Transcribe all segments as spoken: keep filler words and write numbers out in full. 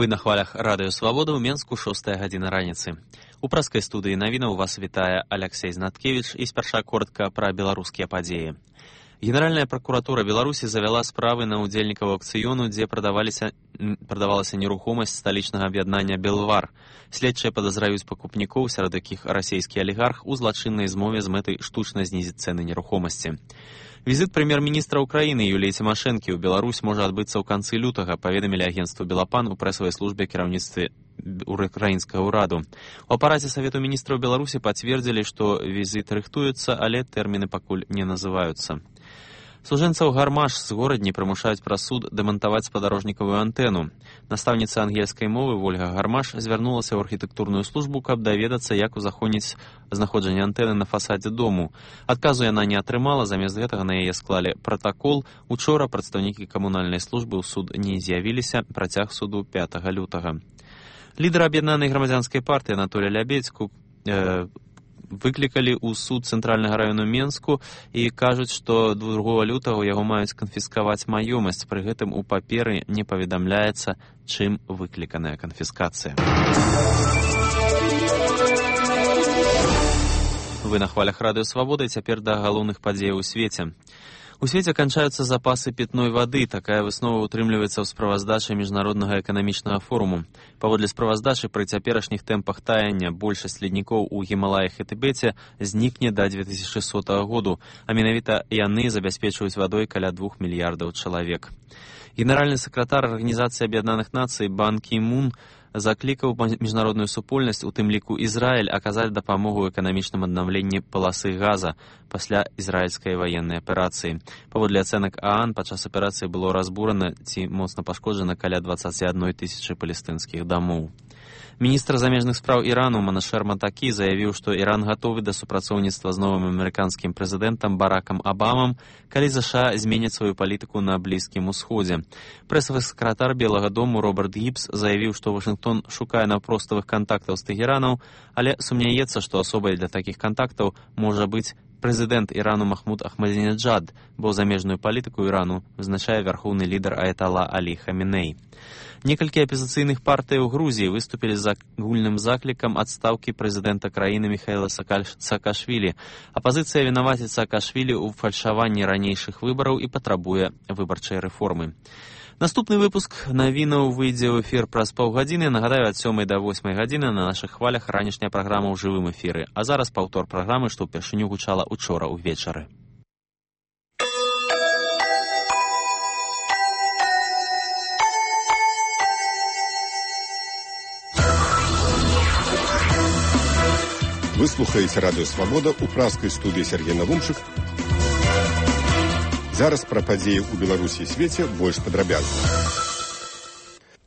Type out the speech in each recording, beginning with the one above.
Вы на хвалях Радыё Свабода, ў Менску шостая гадзіна раніцы. У праскай студыі навінаў вас вітае Алексей Знаткевич і спярша коротка пра беларускія падзеі. Генеральная пракуратура Беларусі завяла справы на ўдзельнікаў аўкцыёну, дзе прадаваліся, прадавалася нерухомасць сталічнага аб'яднання «Белвар». Следчыя падазраюць пакупнікоў, сярод якіх расійскі алігарх, у злачыннай змове з мэтай штучна знізіць цэны нерухомасці. Візіт прэм'ер-міністра ўкраіны Юліі Цімашэнкі ў Беларусь можа адбыцца ў канцы лютага, паведамілі агенцтву «Белапан» у прэсавай службе кіраўніцтве украінскага ўраду. У апараце Савету міністраў Беларусі пацвердзілі, што візіт рыхтуецца, але тэрміны пакуль не называюцца. Служэнцаў гармаш з горадні прымушаюць праз суд дэмантаваць спадарожнікавую антэну. Настаўніца ангельскай мовы Вольга Гармаш звярнулася ў архітэктурную службу, каб даведацца, як узаходніць знаходжанне антэны на фасадзе дому. Адказу яна не атрымала, замест гэтага на яе склалі пратакол. Учора прадстаўнікі камунальнай службы ў суд не з'явіліся, працяг суду пятага лютага. Лідар аб'яднанай грамадзянскай партыі Анатолій Лябедзьку э, выклікалі ў суд цэнтральнага раёну Менску і кажуць, што другога лютага яго маюць канфіскаваць маёмасць. Пры гэтым у паперы не паведамляецца, чым выкліканая канфіскацыя. Вы на хвалях Радыё Свабода, і цяпер да галоўных падзеяў у свеце. У свеце канчаюцца запасы пітной вады. Такая выснова утрымліваецца ў справаздачы міжнароднага эканамічнага форуму. Паводле справаздачы, пры цяперашніх тэмпах таяння большасць леднікоў у Гімалаях і Тыбеце знікне да дзве тысячы сотага году, а менавіта яны забяспечваюць вадой каля двух мільярдаў чалавек. Генеральны сакратар Арганізацыі Аб'яднаных Нацый Бан Кі Мун заклікаў міжнародную супольнасць, у тым ліку Ізраіль, аказаць дапамогу ў эканамічным аднаўленні паласы газа пасля ізраільскай ваеннай аперацыі. Паводле ацэнак ААН, падчас аперацыі было разбурана ці моцна пашкоджана каля дваццаць адной тысячы палестынскіх дамоў. Міністр замежных спраў Ірану Манашэр Матакі заявіў, што Іран гатовы да супрацоўніцтва з новым амерыканскім прэзідэнтам Баракам Абамам, калі ЗША зменяць сваю палітыку на Блізкім Усходзе. Прэсавы сакратар Белага дому Роберт Гібс заявіў, што Вашынгтон шукае наўпроставых кантактаў з Тэгеранам, але сумняецца, што асобай для такіх кантактаў можа быць прэзідэнт Ірану Махмуд Ахмадзінеджад, бо замежную палітыку Ірану вызначае вярхоўны лідар аятала Алі Хаміней. Некалькі апазіцыйных партый у Грузіі выступілі з агульным заклікам адстаўкі прэзідэнта краіны Міхаіла Саакашвілі. Апазіцыя вінаваціць Саакашвілі ў фальшаванні ранейшых выбараў і патрабуе выбарчай рэформы. Наступны выпуск навінаў выйдзе ў эфір праз паўгадзіны. Нагадаю, ад сёмай да восьмай гадзіны на нашых хвалях ранішняя праграма ў жывым эфіры. А зараз паўтор праграмы, што ўпершыню гучала учора ўвечары. Вы слухаеце Радыё Свабода, у праскай студыі Сергей Навумчык. Зараз пра падзеі ў Беларусі і свеце больш падрабязна.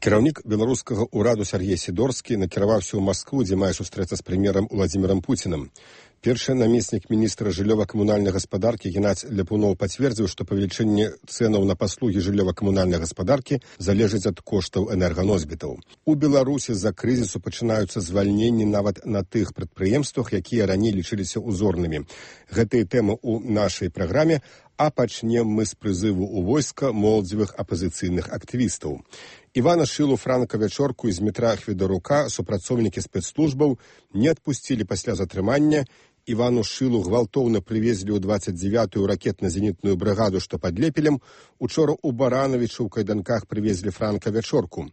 Кіраўнік беларускага ўраду Сергей Сідорскі накіраваўся ў Маскву, дзе мае сустрэцца з прэм'ерам Уладзімірам Пуцінам. Першы намеснік міністра жыллёва-камунальнай гаспадаркі Геннадзь Ляпуноў пацвердзіў, што павелічэнне цэнаў на паслугі жыллёва-камунальнай гаспадаркі залежыць ад коштаў энерганосьбітаў. У Беларусі з-за крызісу пачынаюцца звальненні нават на тых прадпрыемствах, якія раней лічыліся узорнымі. Гэтыя тэмы ў нашай праграме, а пачнем мы з прызыву ў войска моладзевых апазіцыйных актывістаў. Івана Шылу Франка-Вячорку з метра Хведарука супрацоўнікі спецслужбаў не адпусцілі пасля затрымання. Івану Шылу гвалтоўна прывезлі ў дваццаць дзявятую ракетна-зенітную брыгаду, што пад Лепелем. Учора ў Баранавічы ў кайданках прывезлі Франка-Вячорку.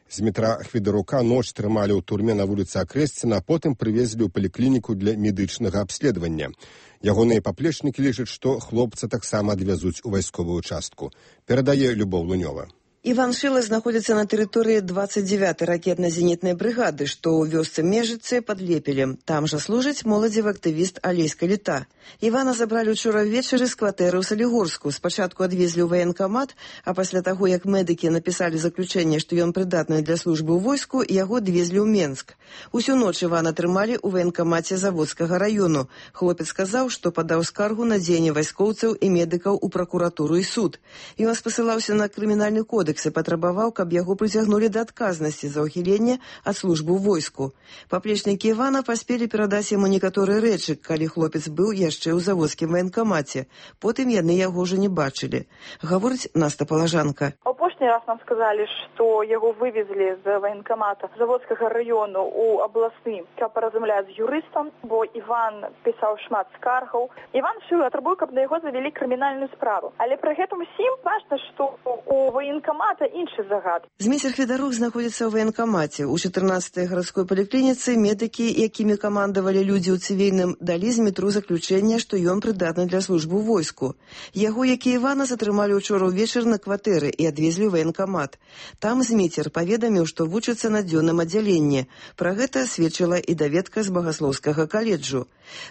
З метра Хведарука ноч трымалі ў турме на вуліцы Акрэсціна, а потым прывезлі ў паліклініку для медычнага абследавання. Ягоныя паплечнікі лічаць, што хлопца таксама адвязуць у вайсковую частку. Перадае Любоў Лунёва. Іван Шыла знаходзіцца на тэрыторыі дваццаць дзявятай ракетна-зенітнай брыгады, што ў вёсцы Межыцы пад Лепелем. Там жа служыць моладзевы актывіст Алейска Літа. Івана забралі ўчора ўвечары з кватэры ў Салігорску. Спачатку адвезлі ў ваенкамат, а пасля таго, як медыкі напісалі заключэнне, што ён прыдатны для службы ў войску, яго адвезлі ў Менск. Усю ноч Івана трымалі ў ваенкамаце Заводскага раёну. Хлопец сказаў, што падаў скаргу на дзеянне вайскоўцаў і медыкаў у пракуратуру і суд. Ён спасылаўся на крымінальны кодекс і патрабаваў, каб яго прыцягнулі да адказнасці за ўхіленне ад службы ў войску. Паплечнікі Івана паспелі перадаць яму некаторыя рэчы, калі хлопец быў яшчэ ў заводскім ваенкамаце. Потым яны яго ўжо не бачылі. Гаворыць Наста Палажанка. Апошні апошні раз нам сказалі, што яго вывезлі з военкомата Заводскага району ў абласны, каб паразмаўляць з юрыстам, бо Іван пісаў шмат скаргаў. Іван Шылы атрабуе, каб на яго завялі крымінальную справу. Але пры гэтым усім важна, што у военкомата іншы загад. Зміцер Федарук знаходзіцца ў военкомаце. У чатырнаццатай гарадской паліклініцы медыкі, якімі камандавалі людзі ў цывільным, далі Змітру заключэнне, што ён прыдатны для службы ў войску. Яго, як і Івана, затрымалі ўчора ўвечар на кватэры і адвезлі ў военкомат. Там Зміцер паведаміў, што вучыцца на дзённым аддзяленні. Пра гэта сведчыла і даведка з Багаслоўскага каледжу.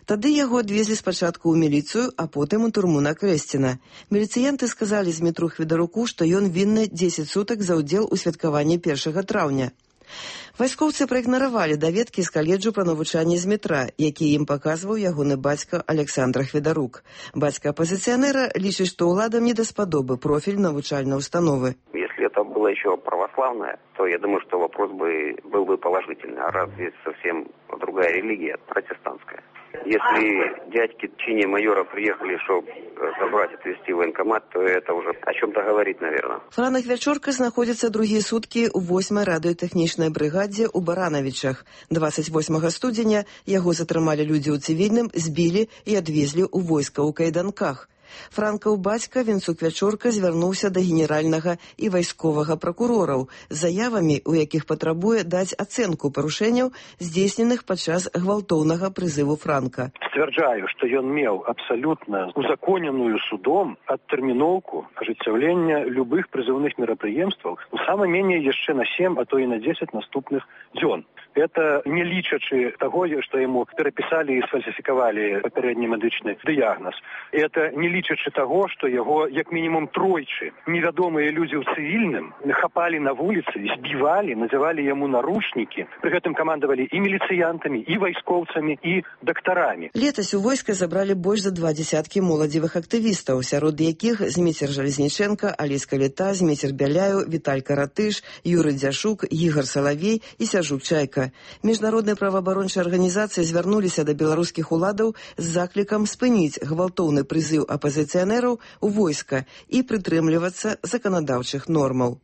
Тады яго адвезлі спачатку ў міліцыю, а потым у турму на Крэсціна. Міліцыянты сказалі Змітру Федаруку, што ён вінны дзесяць сутак за ўдзел у святкаванні першага траўня. Вайскоўцы праігнаравалі даведкі з каледжу пра навучанне Змітра, які ім паказваў ягоны бацька Александр Федарук. Бацька апозіцыянера лічыць, што ўладам не даспадобы профіль навучальнай установы. Если это было еще православное, то я думаю, что вопрос бы был бы положительный. А раз здесь совсем другая религия, протестантская. Если дядьки в чине майора приехали, чтобы забрать и отвезти в военкомат, то это уже о чем-то говорит, наверное. Франак Вячорка знаходзіцца другія суткі ў восьмай радыётэхнічнай брыгадзе ў Баранавічах. дваццаць восьмага студзеня яго затрымалі людзі ў цывільным, збілі і адвезлі ў войска ў кайданках. Франкаў бацька Вінцук Вячорка звярнуўся да генеральнага і вайсковага пракурораў з заявамі, у якіх патрабуе даць ацэнку парушэнняў, здзейсненых падчас гвалтоўнага прызыву Франка. Сцвярджаю, што ён меў абсалютна узаконеную судом адтэрміноўку ажыццяўлення любых прызыўных мерапрыемстваў у самай меней яшчэ на сем, а то і на дзесяць наступных дзён. Это не лічачы таго, што яму перапісалі і сфальсіфікавалі папярэдні медычны дыягназ. Это не лічачы таго, што яго як мінімум тройчы невядомыя людзі ў цывільным хапалі на вуліцы, збівалі, называлі яму наручнікі. Пры гэтым камандавалі і міліцыянтамі, і вайскоўцамі, і дактарамі. Летась у войска забралі больш за два дзясяткі моладзевых актывістаў, сярод якіх Зміцер Жалезніченка, Алейска Літа, Зміцер Бяляю, Віталь Каратыш, Юрый Дзяшук, Ігар Салавей і Сяжук Чайка. Міжнародныя праваабарончыя арганізацыі звярнуліся да беларускіх уладаў з заклікам спыніць гвалтоўны прызыў апазіцыянераў у войска і прытрымлівацца заканадаўчых нормаў.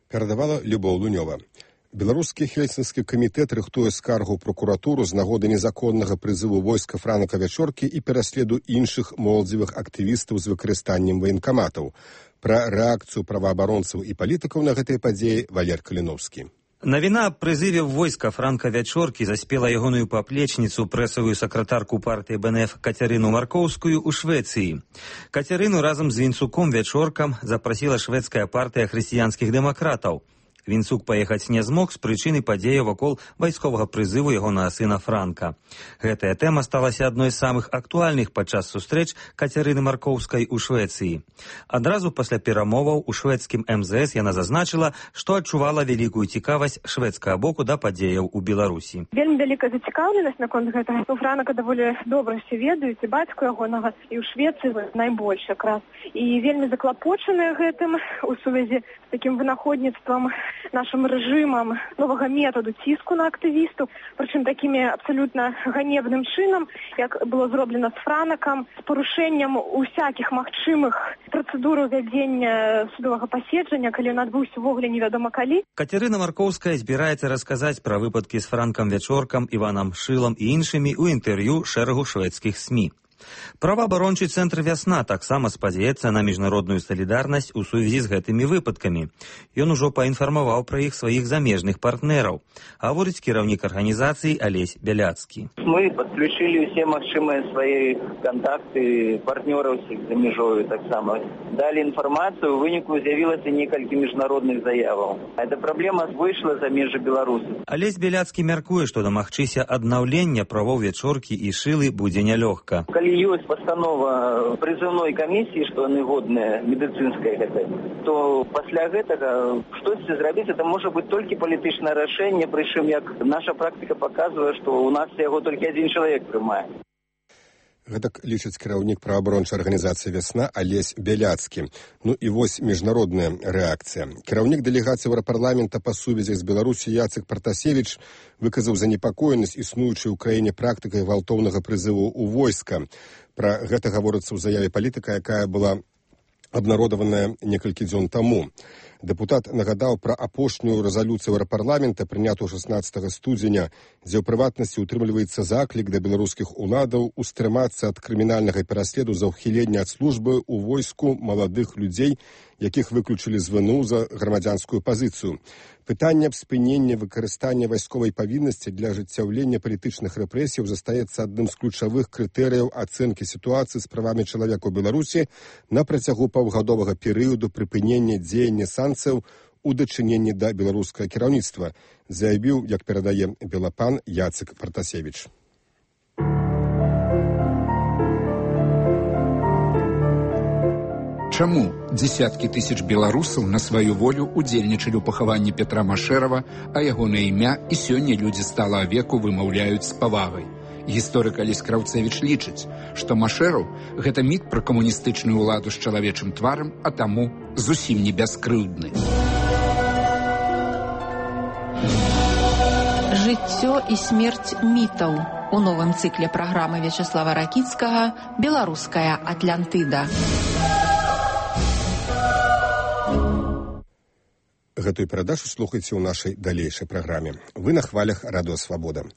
Перадавала Любоў Лунёва. Беларускі хельсінскі камітэт рыхтуе скаргу ў прокуратуру з нагоды незаконнага прызыву войска Франака Вячоркі і пераследу іншых моладзевых актывістаў з выкарыстаннем ваенкаматаў. Пра рэакцыю праваабаронцаў і палітыкаў на гэтай падзеі Валер Каліновскі. Навіна аб прызыве войска Франка Вячоркі заспела ягоную паплечніцу, прэсавую сакратарку партыі Бэ Эн Эф Кацярыну Маркоўскую ў Швецыі. Кацярыну разам з Вінцуком Вячоркам запрасіла шведская партыя хрысціянскіх дэмакратаў. Вінцук паехаць не змог з прычыны падзеяў вакол вайсковага прызыву ягонага сына Франка. Гэтая тэма сталася адной з самых актуальных падчас сустрэч Кацярыны Маркоўскай у Швецыі. Адразу пасля перамоваў у шведскім эм зэ эс яна зазначыла, што адчувала вялікую цікавасць шведскага боку да падзеяў у Беларусі. Вельмі вялікая зацікаўленасць наконт гэтага. У Франака даволі добра ўсе ведаюць, і бацьку ягонага, і ў Швецыі найбольш якраз. І вельмі заклапочаныя гэтым у сувязі з такім вынаходніцтвам нашим рэжымам новага методу ціску на актывістаў, прычым такімі абсалютна ганебным чынам, як было зроблена з Франакам, з парушэннем усякіх магчымых працэдур вядзення судовага паседжання, калі ён адбыўся ўвогуле невядома калі. Кацярына Маркоўская збіраецца расказаць пра выпадкі з Франкам Вячоркам, Іванам Шылам і іншымі ў інтэрв'ю шэрагу шведскіх СМІ. Праваабарончы цэнтр «Вясна» таксама спадзяецца на міжнародную салідарнасць у сувязі з гэтымі выпадкамі. Ён ужо паінфармаваў пра іх сваіх замежных партнераў, гаворыць кіраўнік арганізацыі Алесь Бяляцкі. Мы подключили все магчымыя свае контакты партнераў за мяжою таксама. Далі інфармацыю, у выніку з'явілася некалькі міжнародных заяваў. Эта праблема выйшла за межы Беларусі. Алесь Бяляцкі мяркуе, што дамагчыся аднаўлення правоў Вячоркі і Шылы будзе нялёгка. Калі ёсць пастанова прызыўной камісіі, што яны годныя медыцынская гэта, то пасля гэтага штосьці зрабіць, это можа быць толькі палітычнае рашэнне, прычым як наша практыка паказвае, што ў нас яго толькі адзін чалавек прымае. Гэтак лічыць кіраўнік праваабарончай арганізацыі «Вясна» Алесь Бяляцкі. Ну і вось міжнародная рэакцыя. Кіраўнік дэлегацыі Еўрапарламента па сувязях з Беларусі Яцек Партасевіч выказаў занепакоенасць існуючай у краіне практыкай гвалтоўнага прызыву ў войска. Пра гэта гаворыцца ў заяве палітыка, якая была абнародаваная некалькі дзён таму. Дэпутат нагадаў пра апошнюю рэзалюцыю еўрапарламента, прынятую шаснаццатага студзеня, дзе ў прыватнасці ўтрымліваецца заклік да беларускіх уладаў устрымацца ад крымінальнага пераследу за ўхіленне ад службы ў войску маладых людзей, якіх выключылі з вэ эн у за грамадзянскую пазіцыю. Пытанне аб спыненні выкарыстання вайсковай павіннасці для ажыццяўлення палітычных рэпрэсіяў застаецца адным з ключавых крытэрыяў ацэнкі сітуацыі з правамі чалавека ў Беларусі на працягу паўгадовага перыяду прыпынення дзеяння санкцыяў у дачыненні да беларускага кіраўніцтва, заявіў, як перадае Белапан, Яцек Партасевіч. Чаму дзесяткі тысяч беларусаў на сваю волю удзельнічалі ў пахаванні Петра Машэрава, а ягонае імя і сёння людзі стала веку вымаўляюць з павагай? Гісторык Алесь Краўцэвіч лічыць, што Машэраў – гэта міт пра камуністычную ўладу з чалавечым тварам, а таму зусім не бяскрыўдны. Жыццё і смерць мітаў у новым цыкле праграмы Вячаслава Ракіцкага «Беларуская Атлантыда». Гэтую перадачу слухайце ў нашай далейшай праграме. Вы на хвалях Радыё Свабода.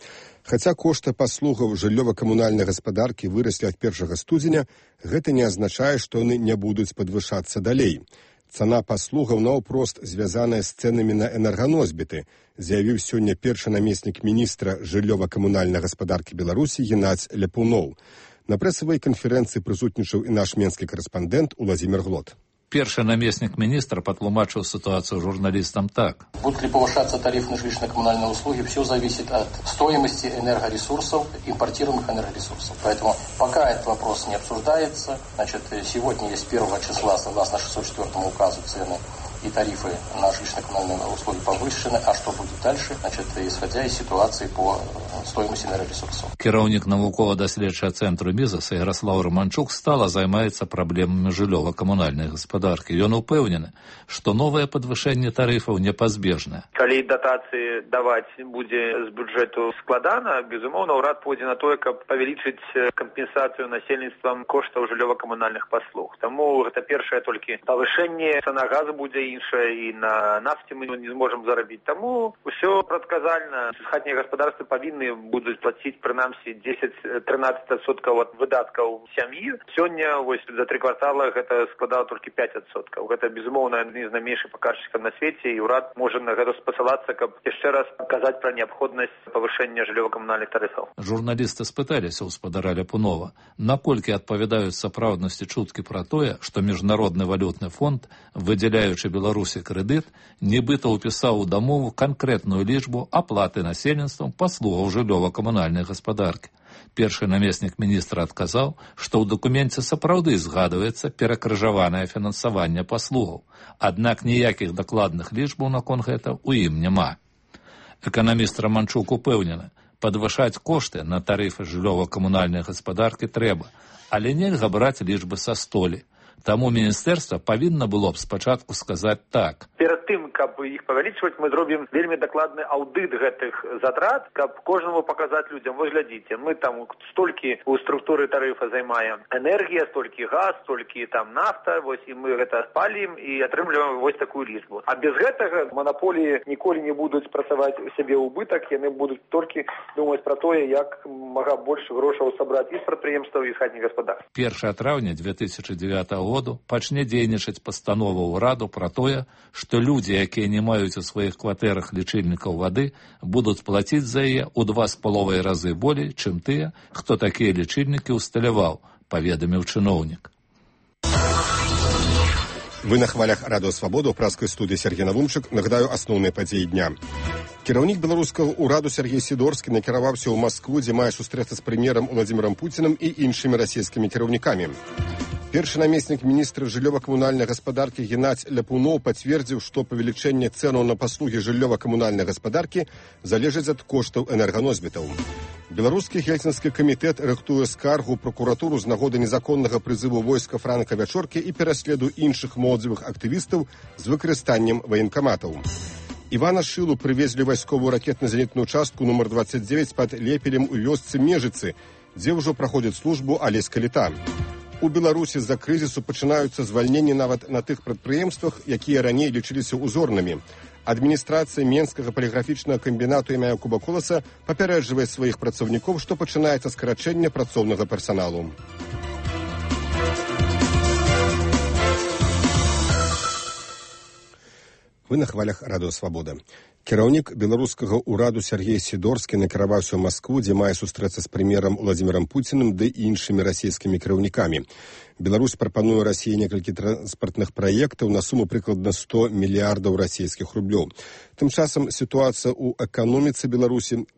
Хаця кошты паслугаў жыллёва-камунальнай гаспадаркі выраслі ад першага студзеня, гэта не азначае, што яны не будуць падвышацца далей. Цана паслугаў наўпрост звязаная з цэнамі на энерганосьбіты, заявіў сёння першы намеснік міністра жыллёва-камунальнай гаспадаркі Беларусі Геннадзь Ляпуноў. На прэсавай канферэнцыі прысутнічаў і наш менскі корэспандэнт Уладзімір Глот. Перший наместник министра потлумачил ситуацию журналистам так. Будут ли повышаться тарифы на жилищно-коммунальные услуги, все зависит от стоимости энергоресурсов, импортируемых энергоресурсов. Поэтому пока этот вопрос не обсуждается, значит, сегодня есть первого числа, согласно шестьсот четвёртому указу, цены и тарифы на жилищно-коммунальные услуги повышены. А что будет дальше? Значит, исходя из ситуации по стоимости энергоресурсов. Кіраўнік навукова-даследчага цэнтру Мізаса Ярослав Романчук стала займаецца праблемамі жыллёва-камунальнай гаспадаркі. Ён упэўнены, што новае падвышэнне тарыфаў непазбежнае. Калі датацыі даваць будзе з бюджэту складана, безумоўна, ўрад пойдзе на тое, каб павялічыць кампенсацыю насельніцтвам коштаў жыллёва-камунальных паслуг. Таму гэта першае толькі павышэнне, цана газу будзе іншая, і на нафце мы не зможам зарабіць. Таму ўсё прадказальна. Хатнія гаспадарствы павінны будуць плаціць прынамсі дзесяць-трынаццаць адсоткаў ад выдаткаў сям'і. Сёння вось за тры квартала гэта складала толькі пяць адсоткаў. Гэта безумоўна адзін з найменшых паказчыкаў на свеце, і ўрад можа на гэта спасылацца, каб яшчэ раз казаць пра неабходнасць павышэння жыллёва-камунальных тарыфаў. Журналісты спыталіся ў спадара Ляпунова, наколькі адпавядаюць сапраўднасці чуткі пра тое, што міжнародны валютны фонд, выдзяляючы Беларусі крэдыт, нібыта ўпісаў у дамову канкрэтную лічбу аплаты насельніцтвам паслугаў жыллёва-камунальнай гаспадаркі. Першы намеснік міністра адказаў, што ў дакуменце сапраўды згадваецца перакрыжаванае фінансаванне паслугаў, аднак ніякіх дакладных лічбаў наконт гэта ў ім няма. Эканаміст Романчук упэўнены, падвышаць кошты на тарыфы жыллёва-камунальнай гаспадаркі трэба, але нельга браць лічбы са столі. Таму міністэрства павінна было б спачатку сказаць так. Перад тым, каб іх павялічваць, мы зробім вельмі дакладны аўдыт гэтых затрат, каб кожнаму паказаць людзям, вось глядзіце, мы там столькі ў структуры тарыфа займаем энергія, столькі газ, столькі там нафта, вось і мы гэта спалім і атрымліваем вось такую лічбу. А без гэтага манаполіі ніколі не будуць працаваць у сябе ўбытак, яны будуць толькі думаць пра тое, як мага больш грошаў сабраць і з прадпрыемстваў, і з хатніх гаспадарств. першага траўня дзве тысячы дзевятага году пачне дзейнічаць пастанова ўраду пра тое, што людзі, якія не маюць у сваіх кватэрах лічыльнікаў вады, будуць плаціць за яе ў два з паловай разы болей, чым тыя, хто такія лічыльнікі ўсталяваў, паведаміў чыноўнік. Вы на хвалях Радыё Свабода, ў праскай студыі Сергей Навумчык. Нагадаю асноўныя падзеі дня. Кіраўнік беларускага ўраду Сергей Сідорскі накіраваўся ў Маскву, дзе мае сустрэцца з прэм'ерам Уладзімірам Пуцінам і іншымі расійскімі кіраўнікамі. Першы намеснік міністра жыллёва-камунальнай гаспадаркі Геннадзь Ляпуноў пацвердзіў, што павелічэнне цэнаў на паслугі жыллёва-камунальнай гаспадаркі залежыць ад коштаў энерганосьбітаў. Беларускі гельсінскі камітэт рыхтуе скаргу пракуратуру з нагоды незаконнага прызыву войска Франка Вячоркі і пераследу іншых моладзевых актывістаў з выкарыстаннем ваенкаматаў. Івана Шылу прывезлі вайсковую ракетна-зенітную частку нумар дваццаць дзевяць пад Лепелем у вёсцы Межыцы, дзе ўжо праходзіць службу Алесь Каліта. У Беларусі з-за крызісу пачынаюцца звальненні нават на тых прадпрыемствах, якія раней лічыліся узорнымі. Адміністрацыя Менскага паліграфічнага камбінату імя Якуба Коласа папярэджвае сваіх працаўнікоў, што пачынаецца скарачэнне працоўнага персаналу. Вы на хвалях радыё «Свабода». Кіраўнік беларускага ўраду Сергей Сідорскі накіраваўся ў Маскву, дзе мае сустрэцца з прэм'ерам Уладзімірам Пуціным ды іншымі расійскімі кіраўнікамі. Беларусь прапануе Расіі некалькі транспартных праектаў на суму прыкладна сто мільярдаў расійскіх рублёў. Тым часам сітуацыя ў эканоміцы Беларусі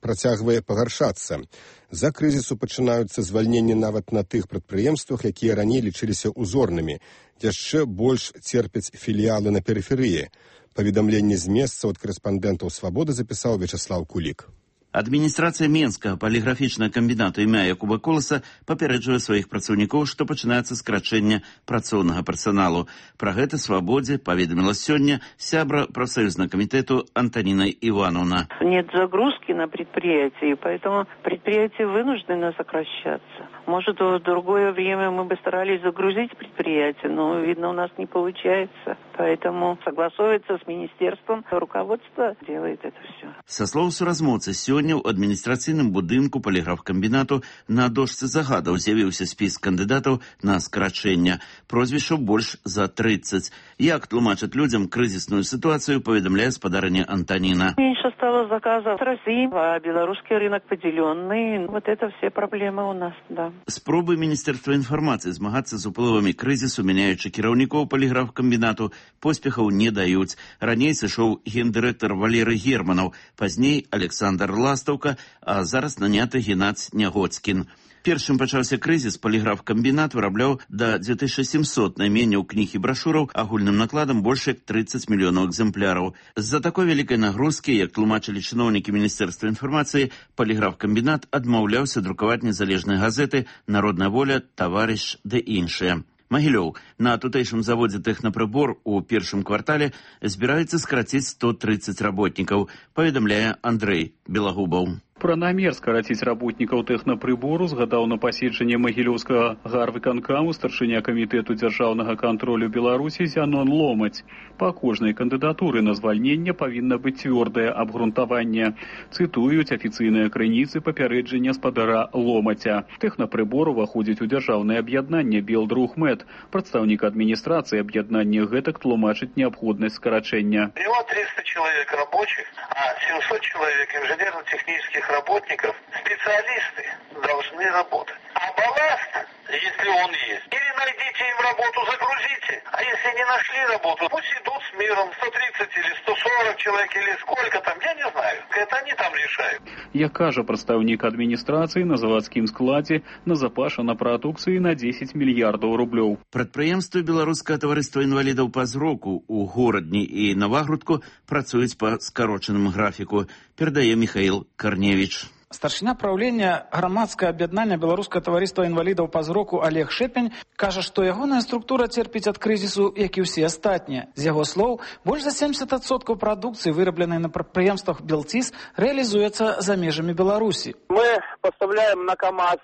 працягвае пагаршацца. За крызісу пачынаюцца звальненні нават на тых прадпрыемствах, якія раней лічыліся узорнымі. Яшчэ больш церпяць філіялы на перыферыі. Паведамленне з месца ад корэспандэнтаў «Свабоды» запісаў Вячеслав Кулік. Адміністрацыя Менскага паліграфічнага камбінату імя Якуба Коласа папярэджвае сваіх працаўнікоў, што пачынаецца скарачэнне працоўнага персаналу. Пра гэта «Свабодзе» паведаміла сёння сябра профсоюзного комитета Антонина Ивановна. Нет загрузки на предприятии, поэтому предприятия вынуждены сокращаться. Может, в другое время мы бы старались загрузить предприятие, но, видно, у нас не получается. Поэтому согласовывается с министерством, руководство делает это все. Со слов суразмоўцы, сёння ў адміністрацыйным будынку паліграфкамбінату на дошцы загадаў з'явіўся спіс кандыдатаў на скарачэнне. Прозвішчаў больш за тридцать. Як тлумачаць людям крызісную ситуацию, паведамляе спадарыня Антонина. Меньше стало заказов с России, а белорусский рынок поделенный. Вот это все проблемы у нас, да. Спробы Міністэрства інфармацыі змагацца з уплывамі крызісу, мяняючы кіраўнікоў паліграфкамбінату, поспехаў не даюць. Раней сышоў гендырэктар Валерый Германаў, пазней Александр Ластаўка, а зараз наняты Геннадзь Нягоцкін. Першым пачаўся крызіс, паліграфкамбінат вырабляў да две тысячи семьсот найменняў кніг і брашураў агульным накладам больш як тридцать мільёнаў экземпляраў. З-за такой вялікай нагрузкі, як тлумачылі чыноўнікі Міністэрства інфармацыі, паліграфкамбінат адмаўляўся друкаваць незалежныя газеты «Народная воля», «Таварыш» ды іншыя. Магілёў. На тутэйшым заводзе «Тэхнапрыбор» у першым квартале збіраецца скараціць сто тридцать работнікаў, паведамляе Андрэй Белагубаў. Пра намер скараціць работнікаў тэхнапрыбору згадаў на паседжанні Магілёўскага гарвыканкаму старшыня камітэту дзяржаўнага кантролю Беларусі Зянон Ломаць. Па кожнай кандыдатуры на звальненне павінна быць цвёрдае абгрунтаванне. Цытуюць афіцыйныя крыніцы папярэджання спадара Ломаця. Тэхнапрыбор уваходзіць у дзяржаўнае аб'яднанне Белдрухмет. Прадстаўнік адміністрацыі аб'яднання гэтак тлумачыць неабходнасць скарачэння. Всего триста человек рабочих, а семьсот человек инженерно-технических работников, специалисты должны работать. А балласт, если он есть, или найдите им работу, загрузите. А если не нашли работу, пусть идут с миром сто тридцать или сто сорок человек, или сколько там, я не знаю. Это они там решают. Як кажа прадстаўнік адміністрацыі, на завадскім складзе назапашана прадукцыі на десять мільярдаў рублёў. Прадпрыемствы Беларускага таварыства інвалідаў па зроку ў Горадні і Навагрудку працуюць па скарочаным графіку, перадае Михаил Корневич. Старшыня праўлення грамадскага аб'яднання Беларускага таварыства інвалідаў па зроку Олег Шэпень кажа, што ягоная структура церпіць ад крызісу, як і ўсе астатнія. З яго слоў, больш за семьдесят адсоткаў прадукцыі, вырабленай на прадпрыемствах Белтис, реализуецца за межамі Беларусі. Мы поставляем на КАМАЗ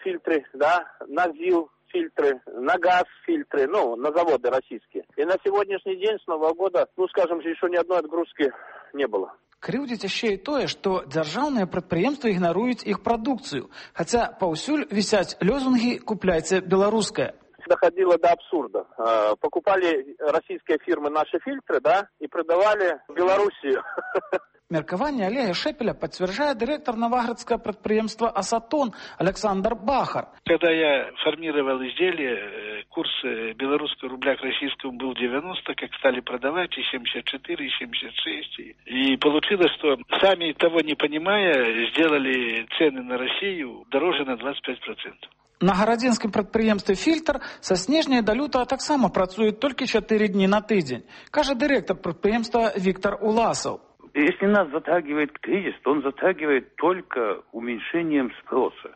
фильтры, да, на ЗИЛ фильтры, на газ фильтры, ну, на заводы российские. И на сегодняшний день с Нового года, ну, скажем, еще ни одной отгрузки не было. Крыўдзіць яшчэ і тое, што дзяржаўныя прадпрыемствы ігнаруюць іх прадукцыю, хаця паўсюль вісяць лёзунгі «Купляйце беларускае». Доходило до абсурда. Покупали российские фирмы наши фильтры, да, и продавали в Белоруссию. Меркаванне Олега Шепеля подтверждает директор новоградского предприемства «Асатон» Александр Бахар. Когда я формировал изделие, курс белорусского рубля к российскому был девяносто, как стали продавать, и семьдесят четыре, и семьдесят шесть. И получилось, что сами того не понимая, сделали цены на Россию дороже на двадцать пять процентов. На гарадзінскім прадпрыемстве «Фильтр» са снежня да лютага таксама працуюць толькі чатыры дні на тыдзень, кажа дырэктар прадпрыемства Виктор Уласов. Если нас затягивает кризис, то он затягивает только уменьшением спроса.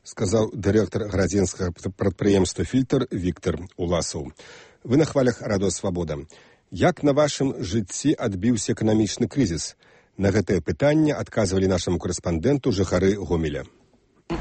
Сказал директор градзенскага прадпрыемства «Фильтр» Виктор Уласов. Вы на хвалях радыё «Свабода». Як на вашым жыцці адбіўся эканамічны крызіс? На гэтае пытанне адказвалі нашаму корэспандэнту жыхары Гомеля.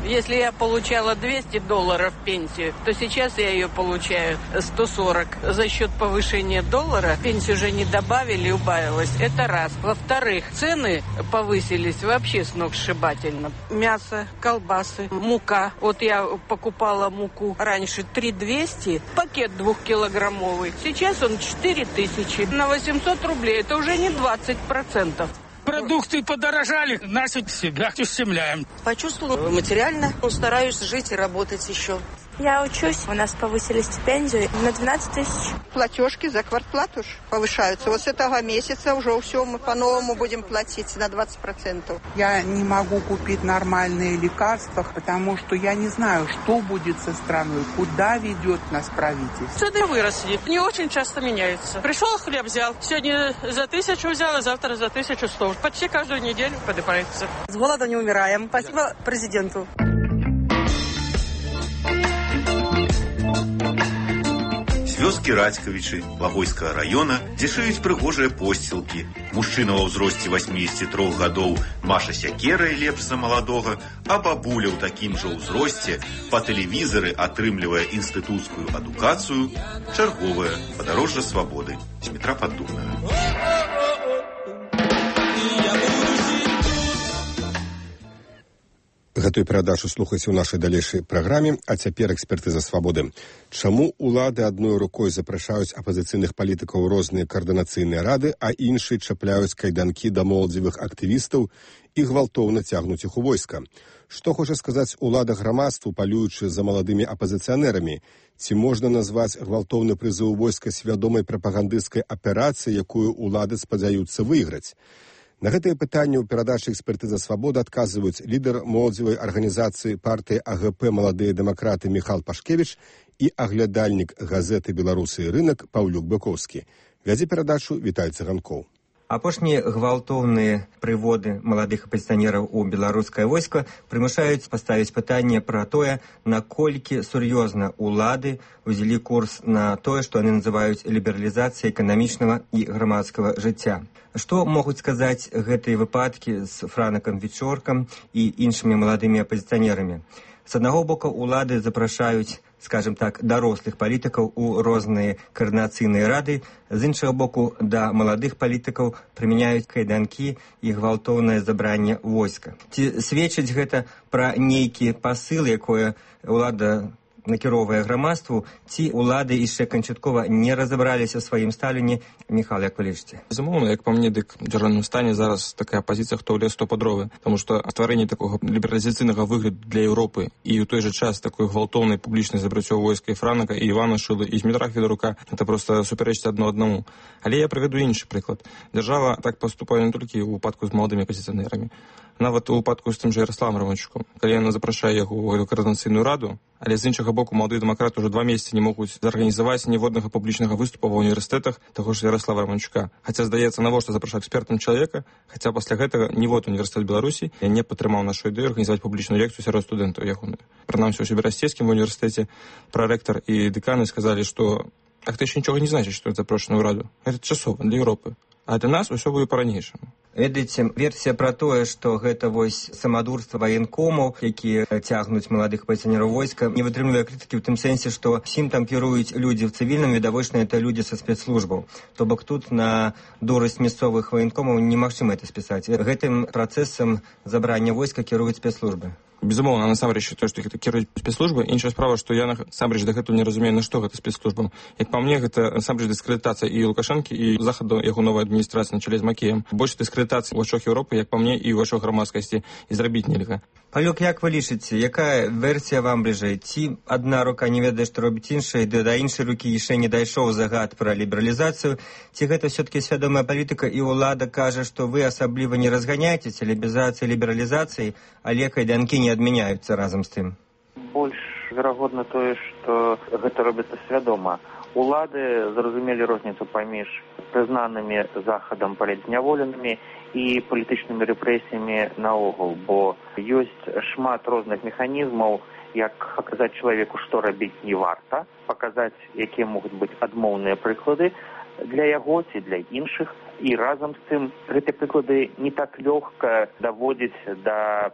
Если я получала двести долларов пенсию, то сейчас я ее получаю сто сорок. За счет повышения доллара пенсию уже не добавили, убавилось. Это раз. Во-вторых, цены повысились вообще сногсшибательно. Мясо, колбасы, мука. Вот я покупала муку раньше три двести, пакет двухкилограммовый. Сейчас он четыре тысячи. На восемьсот рублей. Это уже не двадцать процентов. Продукты подорожали, нас себя ущемляем. Почувствовала материально, стараюсь жить и работать еще. Я учусь, у нас повысили стипендию на двенадцать тысяч. Платежки за квартплату повышаются. Вот с этого месяца уже все мы по-новому будем платить на двадцать процентов. Я не могу купить нормальные лекарства, потому что я не знаю, что будет со страной, куда ведет нас правительство. Цены выросли, не очень часто меняются. Пришел, хлеб взял, сегодня за тысячу взял, а завтра за тысячу сто. Почти каждую неделю поднимается. С голода не умираем. Спасибо президенту. Вёскі Радзькавічы Лагойскага района, дзе шыюць прыгожыя посцілкі. Мужчына ва ўзросце восьмидесяти трёх гадоў маша сякерай лепш за маладога, а бабуля ў такім жа ўзросце па тэлевізары атрымлівае інстытуцкую адукацыю, чарговае падарожжа свабоды. Змітра Паддубная. Гэтую перадачу слухайце ў нашай далейшай праграме, а цяпер экспертыза свабоды. Чаму улады адной рукой запрашаюць апазіцыйных палітыкаў розныя каардынацыйныя рады, а іншыя чапляюць кайданкі да моладзевых актывістаў і гвалтоўна цягнуць іх у войска? Што хоча сказаць улада грамадству, палюючы за маладымі апазіцыянерамі? Ці можна назваць гвалтоўны прызыў войска свядомай прапагандысцкай аперацыяй, якую улады спадзяюцца выйграць? На гэтае пытанне ў перадачы «Экспертыза свабоды» адказваюць лідар моладзевай арганізацыі партыі АГП «Маладыя дэмакраты» Міхал Пашкевіч і аглядальнік газеты «Беларусы і рынак» Паўлюк Быковскі. Вядзе перадачу Віталь Цыганкоў. Апошнія гвалтоўныя прыводы маладых апазіцыянераў у беларускае войска прымушаюць паставіць пытанне пра тое, наколькі сур'ёзна улады ўзялі курс на тое, што яны называюць лібералізацыяй эканамічнага і грамадскага жыцця. Што могуць сказаць гэтыя выпадкі з Франакам Вечоркам і іншымі маладымі апазіцыянерамі? З аднаго боку, улады запрашаюць, скажем так, дарослых палітыкаў у розныя каардынацыйныя рады, з іншага боку, да маладых палітыкаў прымяняюць кайданкі і гвалтоўнае забранне войска. Ці сведчыць гэта пра нейкі пасыл, якое улада накіроўвае грамадству, ці улады яшчэ канчаткова не разабраліся сваім стаўленні? Міхал, як вы лічыце? Безумоўна, як па мне, дык у дзяржаўным стане зараз такая пазіцыя, хто ў лес, то па дровы. Таму што стварэнне такога лібералізацыйнага выгляду для Еўропы і ў той жа час такой гвалтоўнай публічнай забраццё войска і Франака, і Івана Шылы, і Змітра Федарука, это проста супярэчыць адно аднаму. Але я прывяду іншы прыклад. Дзяржава так паступае не толькі ў выпадку з маладымі апазіцыянерамі. Нават у выпадку з тым жа Яраславам Раманчуком. Калі яна запрашае яго ў каардынацыйную раду, але з іншага боку маладыя дэмакраты ўжо два месяцы не могуць зарганізаваць ніводнага публічнага выступа ва ўніверсітэтах таго ж Яраслава Раманчука. Хаця, здаецца, навошта запрашаць экспертам чалавека, хаця пасля гэтага нівод універсітэт Беларусі не падтрымаў нашу ідэю арганізаваць публічную лекцыю сярод студэнтаў ягоную. Прынамсі, у Сібірасцейскім універсітэце прарэктар і дэканы сказалі, што так это яшчэ нічога не значыць, што это запрошана ў раду. Гэта часова для Еўропы. А для нас усё будзе па-ранейшаму. Ведаеце, версія пра тое, што гэта вось самадурства ваенкомаў, якія цягнуць маладых апазіцыянераў войска, не вытрымлівае крытыкі ў тым сэнсе, што всім там кіруюць людзі в цывільным, відавочна, это людзі са спецслужбаў. То бок тут на дурасць мясцовых ваенкомаў немагчыма это спісаць. Гэтым працэсам забрання войска кіруюць спецслужбы. Безумоўна, насамрэч, то, што гэта кіруюць спецслужбы. Іншая справа, што я насамрэч дагэтуль не разумею, на што гэта спецслужбам. Як па мне, гэта насамрэч дыскрэдытацыя і Лукашэнкі, і захаду яго новай адміністрацыі на чале з Макеем. Больш дыскрэдытацыі ў вачах Еўропы, як па мне, і ў вачах грамадскасці, і зрабіць нельга. Палюк, як вы лічыце, якая версія вам бліжэй? Ці адна рука не ведае, што робіць іншая, ды да іншай рукі яшчэ не дайшоў загад пра лібералізацыю? Ці гэта ўсё-такі свядомая палітыка, і ўлада кажа, што вы асабліва не разганяеце лібералізацыі лібералізацыі, але кайданкі не адмяняюцца разам з тым? Больш верагодна тое, што гэта робіцца свядома. Улады зразумелі розніцу паміж прызнанымі захадам палітзняволенымі і палітычнымі рэпрэсіямі наогул, бо ёсць шмат розных механізмаў, як паказаць чалавеку, што рабіць не варта, паказаць, якія могуць быць адмоўныя прыклады для яго ці для іншых, і разам з тым гэтыя прыклады не так лёгка даводзіць да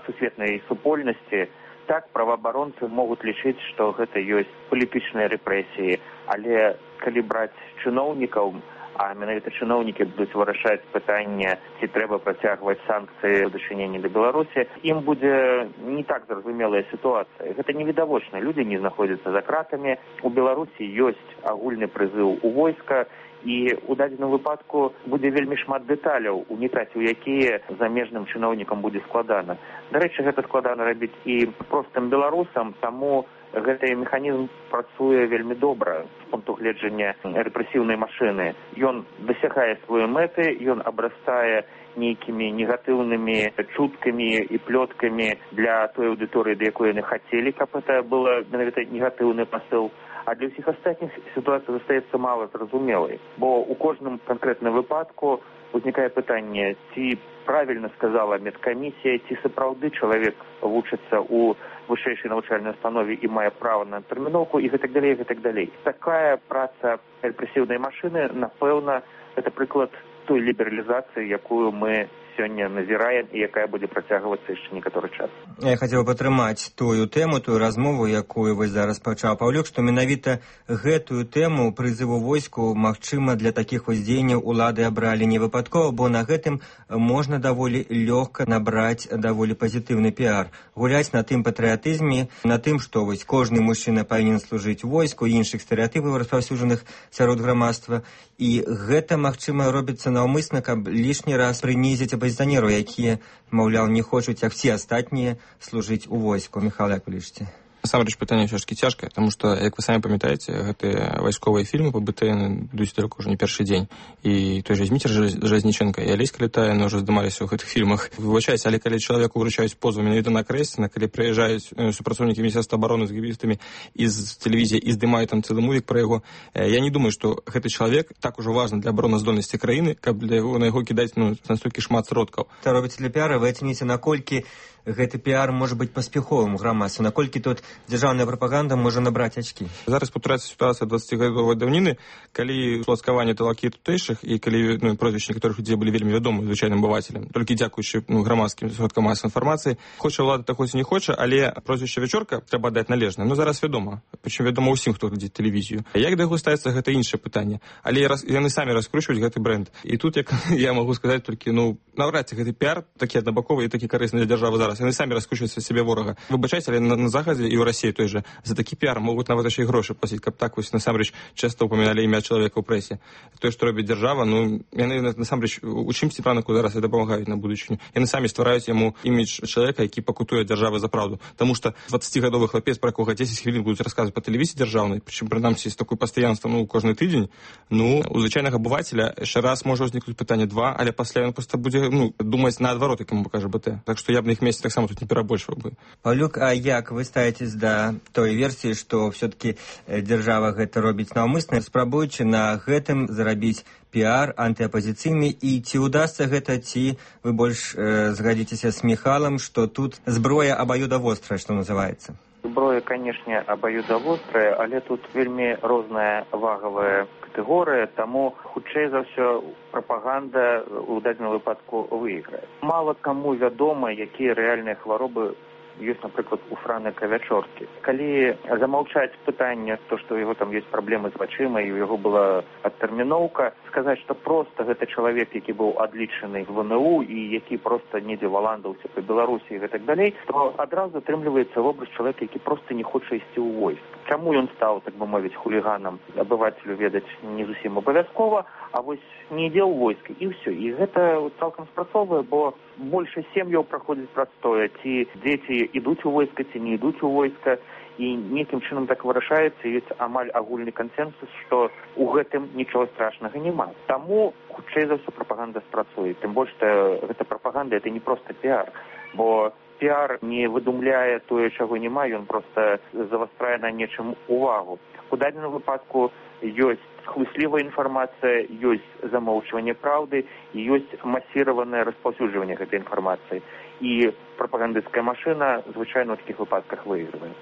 сусветнай супольнасці. Так, праваабаронцы могуць лічыць, што гэта ёсць палітычныя рэпрэсіі, але калі браць чыноўнікаў, а менавіта чыноўнікі будуць вырашаць пытанне, ці трэба працягваць санкцыі ў дачыненні да Беларусі, ім будзе не так зразумелая сітуацыя. Гэта невідавочна. Людзі не знаходзяцца за кратамі. У Беларусі ёсць агульны прызыў у войска, і ў дадзеным выпадку будзе вельмі шмат дэталяў, унікаць у якія замежным чыноўнікам будзе складана. Дарэчы, гэта складана рабіць і простым беларусам, таму гэты механізм працуе вельмі добра з пункту гледжання рэпрэсіўнай машыны. Ён дасягае свае мэты, ён абрастае нейкімі негатыўнымі чуткамі і плёткамі для той аўдыторыі, да якой яны хацелі, каб гэта было менавіта негатыўны пасыл. А для ўсіх астатніх сітуацыя застаецца мала зразумелай, бо ў кожным канкрэтным выпадку узнікае пытанне, ці правільна сказала медкамісія, ці сапраўды чалавек вучыцца ў вышэйшай навучальнай установе і мае права на тэрміноўку і гэтак далей, гэтак далей. Такая праца рэпрэсіўнай машыны, напэўна, гэта прыклад той лібералізацыі, якую мы сёння назіраем і якая будзе працягвацца яшчэ некаторы час. Я хацеў падтрымаць тую тэму, тую размову, якую вось зараз пачаў Паўлюк, што менавіта гэтую тэму прызыву войску, магчыма, для такіх вось дзеянняў улады абралі не выпадкова, бо на гэтым можна даволі лёгка набраць даволі пазітыўны піар. Гуляць на тым патрыятызме, на тым, што вось кожны мужчына павінен служыць войску, іншых стэрэатыпаў распаўсюджаных сярод грамадства. І гэта, магчыма, робіцца наўмысна, каб лішні раз прынізіць апазіцыянераў, якія, маўляў, не хочуць, як все астатнія, служыць у войску. Михаил, як вы лічыце? Насамрэч пытанне ўсё ж такі цяжкае, таму што, як вы самі памятаеце, гэтыя вайсковыя фільмы па бэ тэ эн ідуць далёка ўжо не першы дзень. І той жа Зміцер Жалезніченка і Алеська Летаіна ўжо здымаліся ў гэтых фільмах. Выбачайце, але калі чалавеку ўручаюць позву менавіта на Крэсціна, калі прыязджаюць супрацоўнікі Міністэрства абароны з гібістамі і з тэлевізіі і здымаюць там цэлы мувік пра яго, я не думаю, што гэты чалавек так ужо важны для абароназдольнасці краіны, каб для яго, на яго кідаць ну, настолькі шмат сродкаў. Та робіце для піара, вы ацэніце, наколькі гэты піар можа быць паспяховым у грамадстве, наколькі тут дзяржаўная прапаганда можа набраць ачкі. Зараз паўтараецца сітуацыя дваццацігадовай даўніны, калі уладкаванне талакі тутэйшых і калі ну, прозвішчы некаторых людзей былі вельмі вядомы звычайным абывацелям, толькі дзякуючы ну, грамадскім сродкам масавай інфармацыі. Хоча ўлада так хоць і не хоча, але прозвішча Вячорка трэба даць належнае. Ну зараз вядома, прычым вядома ўсім, хто глядзіць тэлевізію. Як да яго ставіцца, гэта іншае пытанне. Але раз, яны самі раскручваюць гэты бренд. І тут як я магу сказаць толькі ну наўрад ці гэты піар такі аднабаковы і такі карысны для дзяржавы зараз. Яны самі раскручваюць сябе ворага. Выбачайце, але на, на захадзе і ў Расіі той жа за такі піар могуць нават яшчэ і грошы плаціць, каб так вось насамрэч часта ўпаміналі імя чалавека ў прэсе. Тое, што робіць дзяржава, ну яны насамрэч у чымсьці планаку зараз і дапамагаюць на будучыню. Яны самі ствараюць яму імідж чалавека, які пакутуе дзяржавы за праўду. Таму што дваццацігадовы хлапец, пра якога дзесяць хвілін будуць расказваць па тэлевізіі дзяржаўнай, прычым прынамсі з такой пастаянствам ну кожны тыдзень, ну у звычайнага абывацеля яшчэ раз можа ўзнікнуць пытанне два, але пасля ён проста будзе ну думаць наадварот, як яму пакажа бэ тэ. Так што я б на іх месцы таксама тут не перабольшваў бы. Паўлюк, а як вы ставіцесь да той версіі, што все-таки дзяржава гэта робіць наўмысна, спрабуючы на гэтым зарабіць піар антыапазіцыйны, і ці ўдасца гэта, ці вы больш э, згадзіцеся з Міхалам, што тут зброя абаюдавострая, што называецца? Зброя, канешне, абаюдавострая, але тут вельмі розная вагавая катэгорыя, таму хутчэй за ўсё прапаганда ў дадзеным выпадку выйграе. Мала каму вядома, якія рэальныя хваробы ёсць, напрыклад, у Франыка Вячоркі. Калі замаўчаць пытанне, то, што у яго там ёсць праблемы з вачыма, і у яго была адтэрміноўка, сказаць, што проста гэта чалавек, які быў адлічаны в эн у і які проста недзе валандаўся па Беларусі і гэтак далей, то адразу атрымліваецца вобраз чалавека, які проста не хоча ісці ў войск. Чаму ён стаў, так бы мовіць, хуліганам, абывацелю ведаць не зусім абавязкова, а вось не ідзе ў войск, і ўсё. І гэта цалкам спрацоўвае, бо больше сем'яў праходзіць прастое, ці дзеці ідуць у войска, ці не ідуць у войска, і нейкім чынам так вырашаецца, ёсць амаль агульны кансенсус, што ў гэтым нічога страшнага няма. Таму хутчэй за ўсё прапаганда спрацуе. Тым больш, што гэта прапаганда, это не проста піар, бо піар не выдумляе тое, чаго няма, ён проста завастрае на нечым увагу. У дадзеным выпадку ёсць хлыслівая інфармацыя, ёсць замоўчванне праўды і ёсць масіраванае распаўсюджванне гэтай інфармацыі. І прапагандысцкая машына звычайна ў такіх выпадках выйгрывае.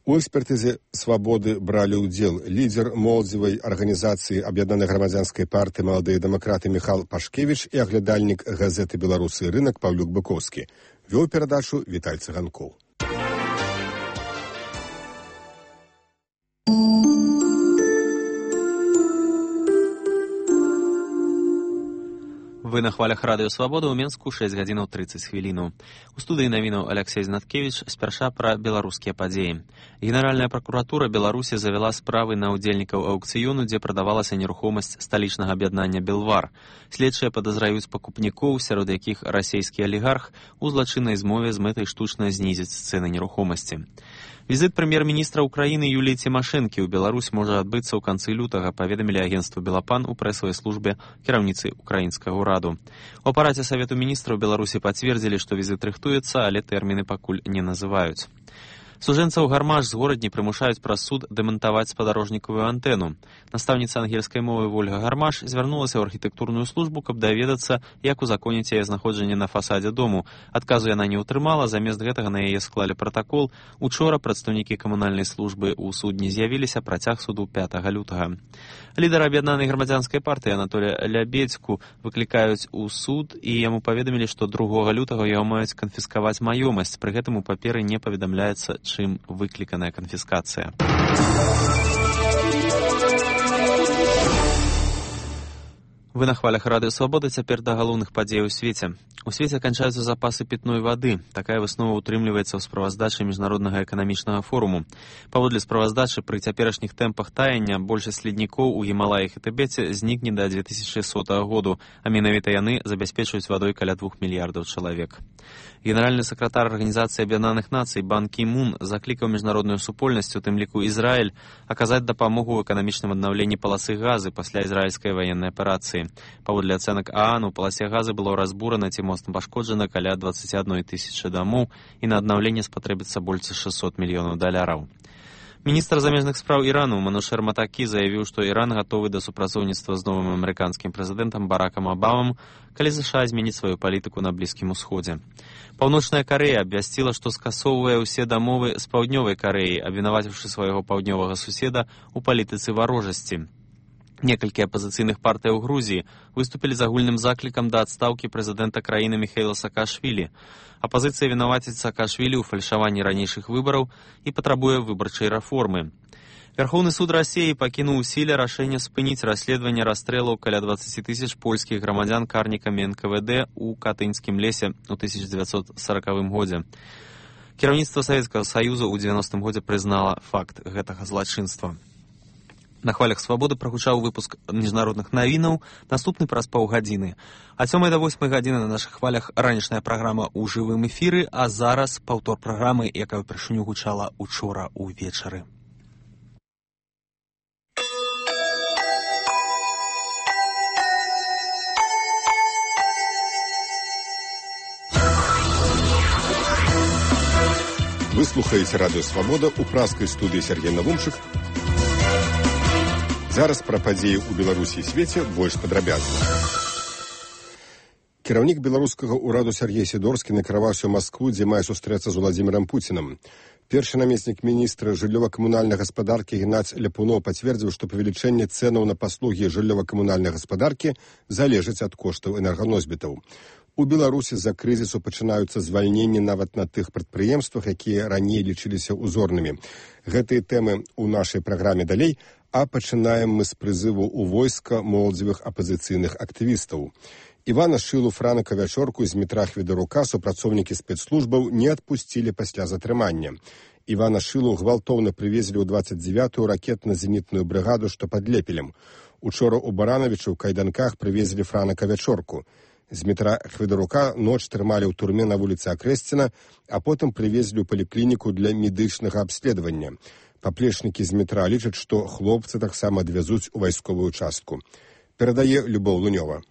У экспертызе «Свабоды» бралі ўдзел лідер моладзевай арганізацыі Аб'яднанай грамадзянскай партыі «Маладыя дэмакраты» Міхал Пашкевіч і аглядальнік газеты «Беларусы і рынак» Паўлюк Быкоўскі. Вёў перадачу Віталь Цыганкоў. Вы на хвалях радыё Свабода, ў Менску шэсць гадзінаў трыццаць хвілінаў. У студыі навінаў Алексей Знаткевіч спярша пра беларускія падзеі. Генеральная пракуратура Беларусі завяла справы на ўдзельнікаў аўкцыёну, дзе прадавалася нерухомасць сталічнага аб'яднання «Белвар». Следчыя падазраюць пакупнікоў, сярод якіх расійскі алігарх, у злачыннай змове з мэтай штучна знізіць цэны нерухомасці. Візіт прэм'ер-міністра Украіны Юліі Цімашэнкі ў Беларусь можа адбыцца ў канцы лютага, паведамілі агенцтву «Белапан» у прэсавай службе кіраўніцы украінскага ўраду. У апараце Савету міністраў Беларусі пацвердзілі, што візіт рыхтуецца, але тэрміны пакуль не называюць. Сужэнцаў Гармаш з горадні прымушаюць праз суд дэмантаваць спадарожнікавую антэну. Настаўніца ангельскай мовы Вольга Гармаш звярнулася ў архітэктурную службу, каб даведацца, як узаконіць яе знаходжанне на фасадзе дому. Адказу яна не ўтрымала, замест гэтага на яе склалі пратакол. Учора прадстаўнікі камунальнай службы ў судні з'явіліся, працяг суду пятага лютага. Лідар аб'яднанай грамадзянскай партыі Анатолія Лябедзьку выклікаюць у суд, і яму паведамілі, што другога лютага яго маюць канфіскаваць маёмасць. Пры гэтым у паперы не паведамляецца, чым выкліканая канфіскацыя. Вы на хвалях радыё Свабода, цяпер да галоўных падзей у свеце. У свеце канчаюцца запасы пітной вады. Такая выснова ўтрымліваецца ў справаздачы міжнароднага эканамічнага форуму. Паводле справаздачы, пры цяперашніх тэмпах таяння большасць леднікоў у Гімалаях і Тыбеце знікне да дзве тысячы сотага году, а менавіта яны забяспечваюць вадой каля двух мільярдаў чалавек. Генеральны сакратар Арганізацыі Аб'яднаных Нацый Бан Кі Мун заклікаў міжнародную супольнасць, у тым ліку Ізраіль, аказаць дапамогу ў эканамічным аднаўленні паласы газы пасля ізраільскай ваеннай аперацыі. Паводле ацэнак ААН, у паласе газы было разбурана ці моцна пашкоджана каля дваццаць адной тысячы дамоў, і на аднаўленне спатрэбіцца больш шэсцьсот мільёнаў даляраў. Міністр замежных спраў Ірану Манушер Матакі заявіў, што Іран гатовы да супрацоўніцтва з новым амерыканскім прэзідэнтам Баракам Абамам, калі ЗША зменіць сваю палітыку на Блізкім Усходзе. Паўночная Карэя абвясціла, што скасоўвае ўсе дамовы з Паўднёвай Карэяй, абвінаваціўшы свайго паўднёвага суседа ў палітыцы варожасці. Некалькі апазіцыйных партый у Грузіі выступілі з агульным заклікам да адстаўкі прэзідэнта краіны Міхаіла Саакашвілі. Апазіцыя вінаваціць Саакашвілі ў фальшаванні ранейшых выбараў і патрабуе выбарчай рэформы. Верховны суд Расіі пакінуў у сіле рашэнне спыніць расследаванне расстрэлаў каля дваццаць тысяч польскіх грамадзян карнікамі эн ка вэ дэ ў Катынскім лесе ў тысяча дзевяцьсот саракавым годзе. Кіраўніцтва Савецкага Саюза ў дзевяностым годзе прызнала факт гэтага злачынства. На хвалях Свабоды прагучаў выпуск міжнародных навінаў, наступны праз паўгадзіны. А сёмай да восьмай гадзіны на нашых хвалях ранішняя праграма ў жывым эфіры, а зараз паўтор праграмы, якая ўпершыню гучала учора ўвечары. Вы слухаеце радыё Свабода ў праскай студыі Сергей Навумчык. Зараз пра падзеі ў Беларусі і свеце больш падрабязна. Кіраўнік беларускага ўраду Сергей Сідорскі накіраваўся ў Маскву, дзе мае сустрэцца з Уладзімірам Пуцінам. Першы намеснік міністра жыллёва-камунальнай гаспадаркі Геннадзь Ляпунов пацвердзіў, што павелічэнне цэнаў на паслугі жыллёва-камунальнай гаспадаркі залежыць ад коштаў энерганосьбітаў. У Беларусі з-за крызісу пачынаюцца звальненні нават на тых прадпрыемствах, якія раней лічыліся ўзорнымі. Гэтыя тэмы ў нашай праграме далей, а пачынаем мы з прызыву ў войска моладзевых апазіцыйных актывістаў. Івана Шылу, Франака Вячорку і Змітра Хведарука супрацоўнікі спецслужбаў не адпусцілі пасля затрымання. Івана Шылу гвалтоўна прывезлі ў дваццаць дзявятую ракетна-зенітную брыгаду, што пад Лепелем. Учора ў Баранавічы ў кайданках прывезлі Франака Вячорку. Змітра Хведарука ноч трымалі ў турме на вуліцы Акрэсціна, а потым прывезлі ў паліклініку для медычнага абследавання. Паплечнікі Змітра лічаць, што хлопцы таксама адвязуць у вайсковую частку. Перадае Любоў Лунёва.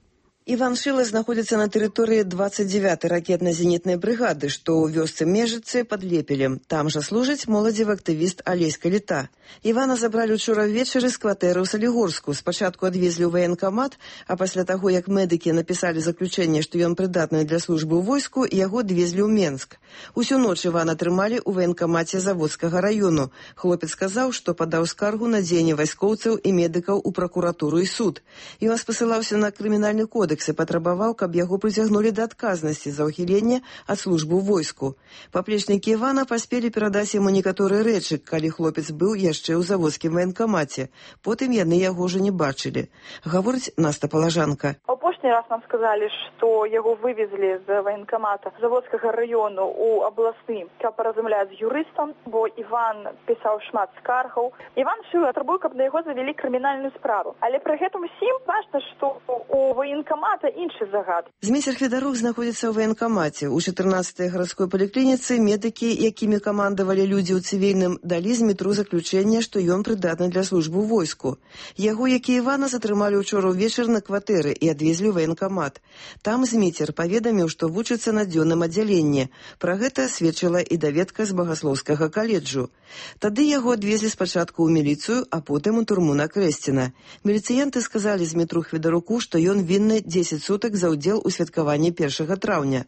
Іван Шыла знаходзіцца на тэрыторыі дваццаць дзявятай ракетна-зенітнай брыгады, што ў вёсцы Межыцы пад Лепелем. Там жа служыць моладзевы актывіст Алесь Каліта. Івана забралі ўчора ўвечары з кватэры ў Салігорску. Спачатку адвезлі ў ваенкамат, а пасля таго, як медыкі напісалі заключэнне, што ён прыдатны для службы ў войску, яго адвезлі ў Менск. Усю ноч Івана трымалі ў ваенкамаце Заводскага раёну. Хлопец сказаў, што падаў скаргу на дзеянне вайскоўцаў і медыкаў у пракуратуру і суд. Ён спасылаўся на крымінальны кодекс, кодэксе патрабаваў, каб яго прыцягнулі да адказнасці за ўхіленне ад службы ў войску. Паплечнікі Івана паспелі перадаць яму некаторыя рэчы, калі хлопец быў яшчэ ў заводскім ваенкамаце. Потым яны яго ўжо не бачылі. Гаворыць Наста Палажанка. Апошні раз нам сказалі, што яго вывезлі з ваенкамата заводскага раёну ў абласны, каб паразмаўляць з юрыстам, бо Іван пісаў шмат скаргаў. Іван шыў атрабуе, каб на яго завялі крымінальную справу. Але пры гэтым усім важна, што у ваенкамата іншы загад. Змейцер Федарук знаходзіцца ў ваенкамаце. У чатырнаццатай гарадской паліклініцы медыкі, якімі камандавалі людзі ў цывільным, далі з метру заключэнне, што ён прыдатны для службы ў войску. Яго, як і Івана, затрымалі ўчора ўвечар на кватэры і адвезлі ў ваенкамат. Там Змейцер паведаміў, што вучыцца на дзённым аддзяленні. Пра гэта сведчыла і даведка з багаслоўскага каледжу. Тады яго адвезлі спачатку ў міліцыю, а потым у турму на Крэсціна. Міліцыянты сказалі Змітру Хведаруку, што ён вінны дзесяць сутак за ўдзел у святкаванні першага траўня.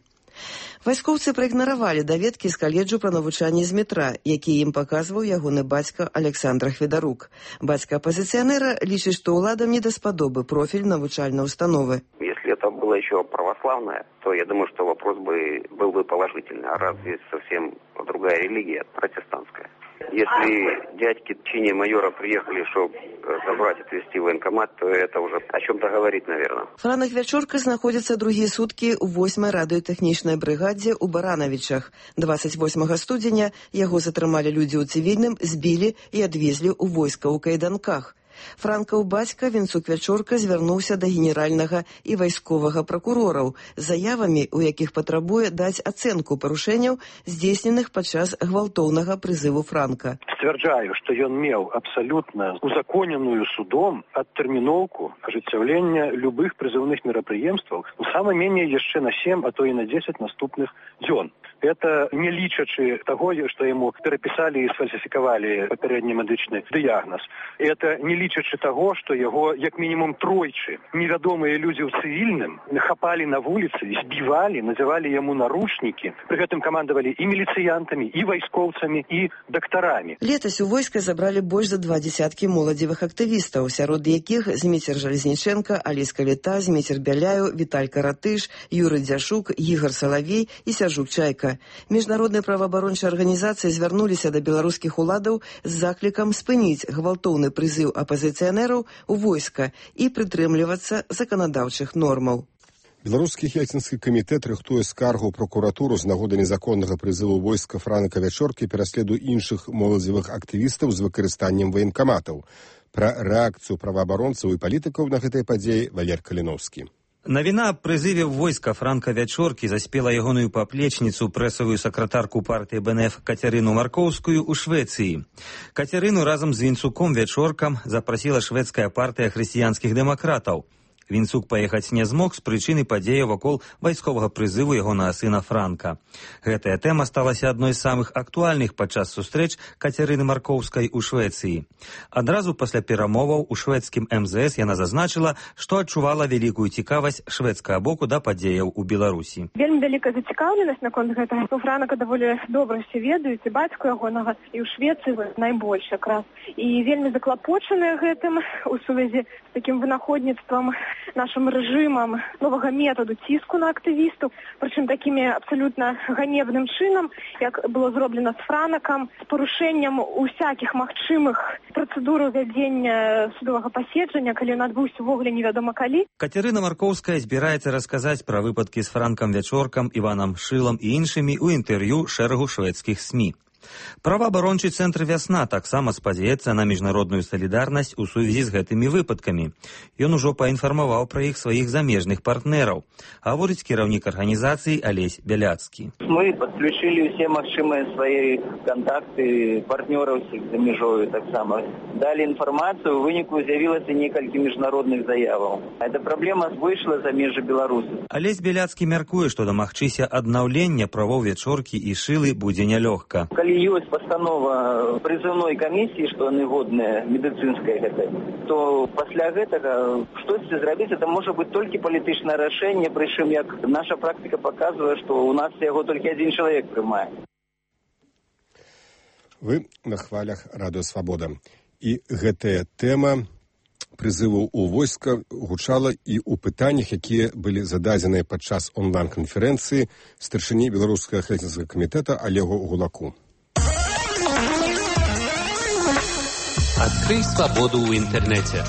Вайскоўцы праігнаравалі даведкі з каледжу пра навучанне Змітра, які ім паказваў ягоны бацька Александр Хведарук. Бацька апозіцыянера лічыць, што ўладам не даспадобы профіль навучальнай установы. Если это было еще православное, то я думаю, что вопрос бы был бы положительный. А разве совсем другая религия, протестантская? Если дядьки в чине майора приехали, чтобы забрать, отвезти в военкомат, то это уже о чем-то говорит, наверное. Франак Вячорка знаходзіцца другія суткі ў восьмай радыётэхнічнай брыгадзе ў Баранавічах. дваццаць восьмага студзеня яго затрымалі людзі ў цывільным, збілі і адвезлі ў войска ў кайданках. Франкаў бацька Вінцук Вячорка звярнуўся да генеральнага і вайсковага пракурораў з заявамі, у якіх патрабуе даць ацэнку парушэнняў, здзейсненых падчас гвалтоўнага прызыву Франка. Сцвярджаю, што ён меў абсалютна узаконеную судом адтэрміноўку ажыццяўлення любых прызыўных мерапрыемстваў, сама меней яшчэ на сем, а то і на дзесяць наступных дзён. Это не лічачы таго, што яму перапісалі і сфальсіфікавалі папярэдні медычны дыягназ. Это не лічачы таго, што яго, як мінімум тройчы, невядомыя людзі ў цывільным хапалі на вуліцы, збівалі, называлі яму наручнікі. Пры гэтым камандавалі і міліцыянтамі, і вайскоўцамі, і дактарамі. Летась у войска забралі больш за два дзесяткі моладзевых актывістаў, сярод якіх Змейцер Жалезніченка, Алеська Літа, Змейцер Бяляю, Віталь Каратыш, Юрый Дзяшук, Ігар Салавей і Сяржук Чайка. Міжнародныя праваабарончыя арганізацыі звярнуліся да беларускіх уладаў з заклікам спыніць гвалтоўны прызыў апазіцыянераў у войска і прытрымлівацца заканадаўчых нормаў. Беларускі хельсінскі камітэт рыхтуе скаргу ў прокуратуру з нагоды незаконнага прызыву войска Франака Вячоркі пераследу іншых моладзевых актывістаў з выкарыстаннем ваенкаматаў. Пра рэакцыю праваабаронцаў і палітыкаў на гэтай падзеі Валер Каліновскі. Навіна аб прызыве войска Франка Вячоркі заспела ягоную паплечніцу, прэсавую сакратарку партыі Бэ Эн Эф Кацярыну Маркоўскую ў Швецыі. Кацярыну разам з Вінцуком Вячоркам запрасіла шведская партыя хрысціянскіх дэмакратаў. Вінцук паехаць не змог з прычыны падзеяў вакол вайсковага прызыву ягонага сына Франка. Гэтая тэма сталася адной з самых актуальных падчас сустрэч Кацярыны Маркоўскай у Швецыі. Адразу пасля перамоваў у шведскім эм зэ эс яна зазначыла, што адчувала вялікую цікавасць шведскага боку да падзеяў у Беларусі. Вельмі вялікая зацікаўленасць наконт гэтага. Франака даволі добра ўсе ведаюць, і бацьку ягонага, і ў Швецыі найбольш якраз. І вельмі заклапочаныя гэтым у сувязі з такім вынаходніцтвам нашим рэжымам новага методу ціску на актывістаў, прычым такімі абсалютна ганебным чынам, як было зроблена з Франакам, з парушэннем усякіх магчымых працэдур вядзення судовага паседжання, калі ён адбыўся ўвогуле невядома калі. Кацярына Маркоўская збіраецца расказаць пра выпадкі з Франкам Вячоркам, Іванам Шылам і іншымі ў інтэрв'ю шэрагу шведскіх СМІ. Праваабарончы цэнтр «Вясна» таксама спадзяецца на міжнародную салідарнасць у сувязі з гэтымі выпадкамі. Ён ужо паінфармаваў пра іх сваіх замежных партнераў, гаворыць кіраўнік арганізацыі Алесь Бяляцкі. Мы подключили все магчымыя свае контакты партнераў за мяжою таксама. Далі інфармацыю, у выніку з'явілася некалькі міжнародных заяваў. Эта праблема выйшла за межы Беларусі. Алесь Бяляцкі мяркуе, што дамагчыся аднаўлення правоў Вячоркі і Шылы будзе нялёгка. Калі ёсць пастанова прызыўной камісіі, што яны годныя медыцынскай гэтай, то пасля гэтага штосьці зрабіць, это можа быць толькі палітычнае рашэнне, прычым як наша практыка паказвае, што ў нас яго толькі адзін чалавек прымае. Вы на хвалях Радыё Свабода. І гэтая тэма прызыву ў войска гучала і ў пытаннях, якія былі зададзеныя падчас онлайн-канферэнцыі старшыні беларускага хельсінскага камітэта Олегу Гулаку. Открой свободу в интернете.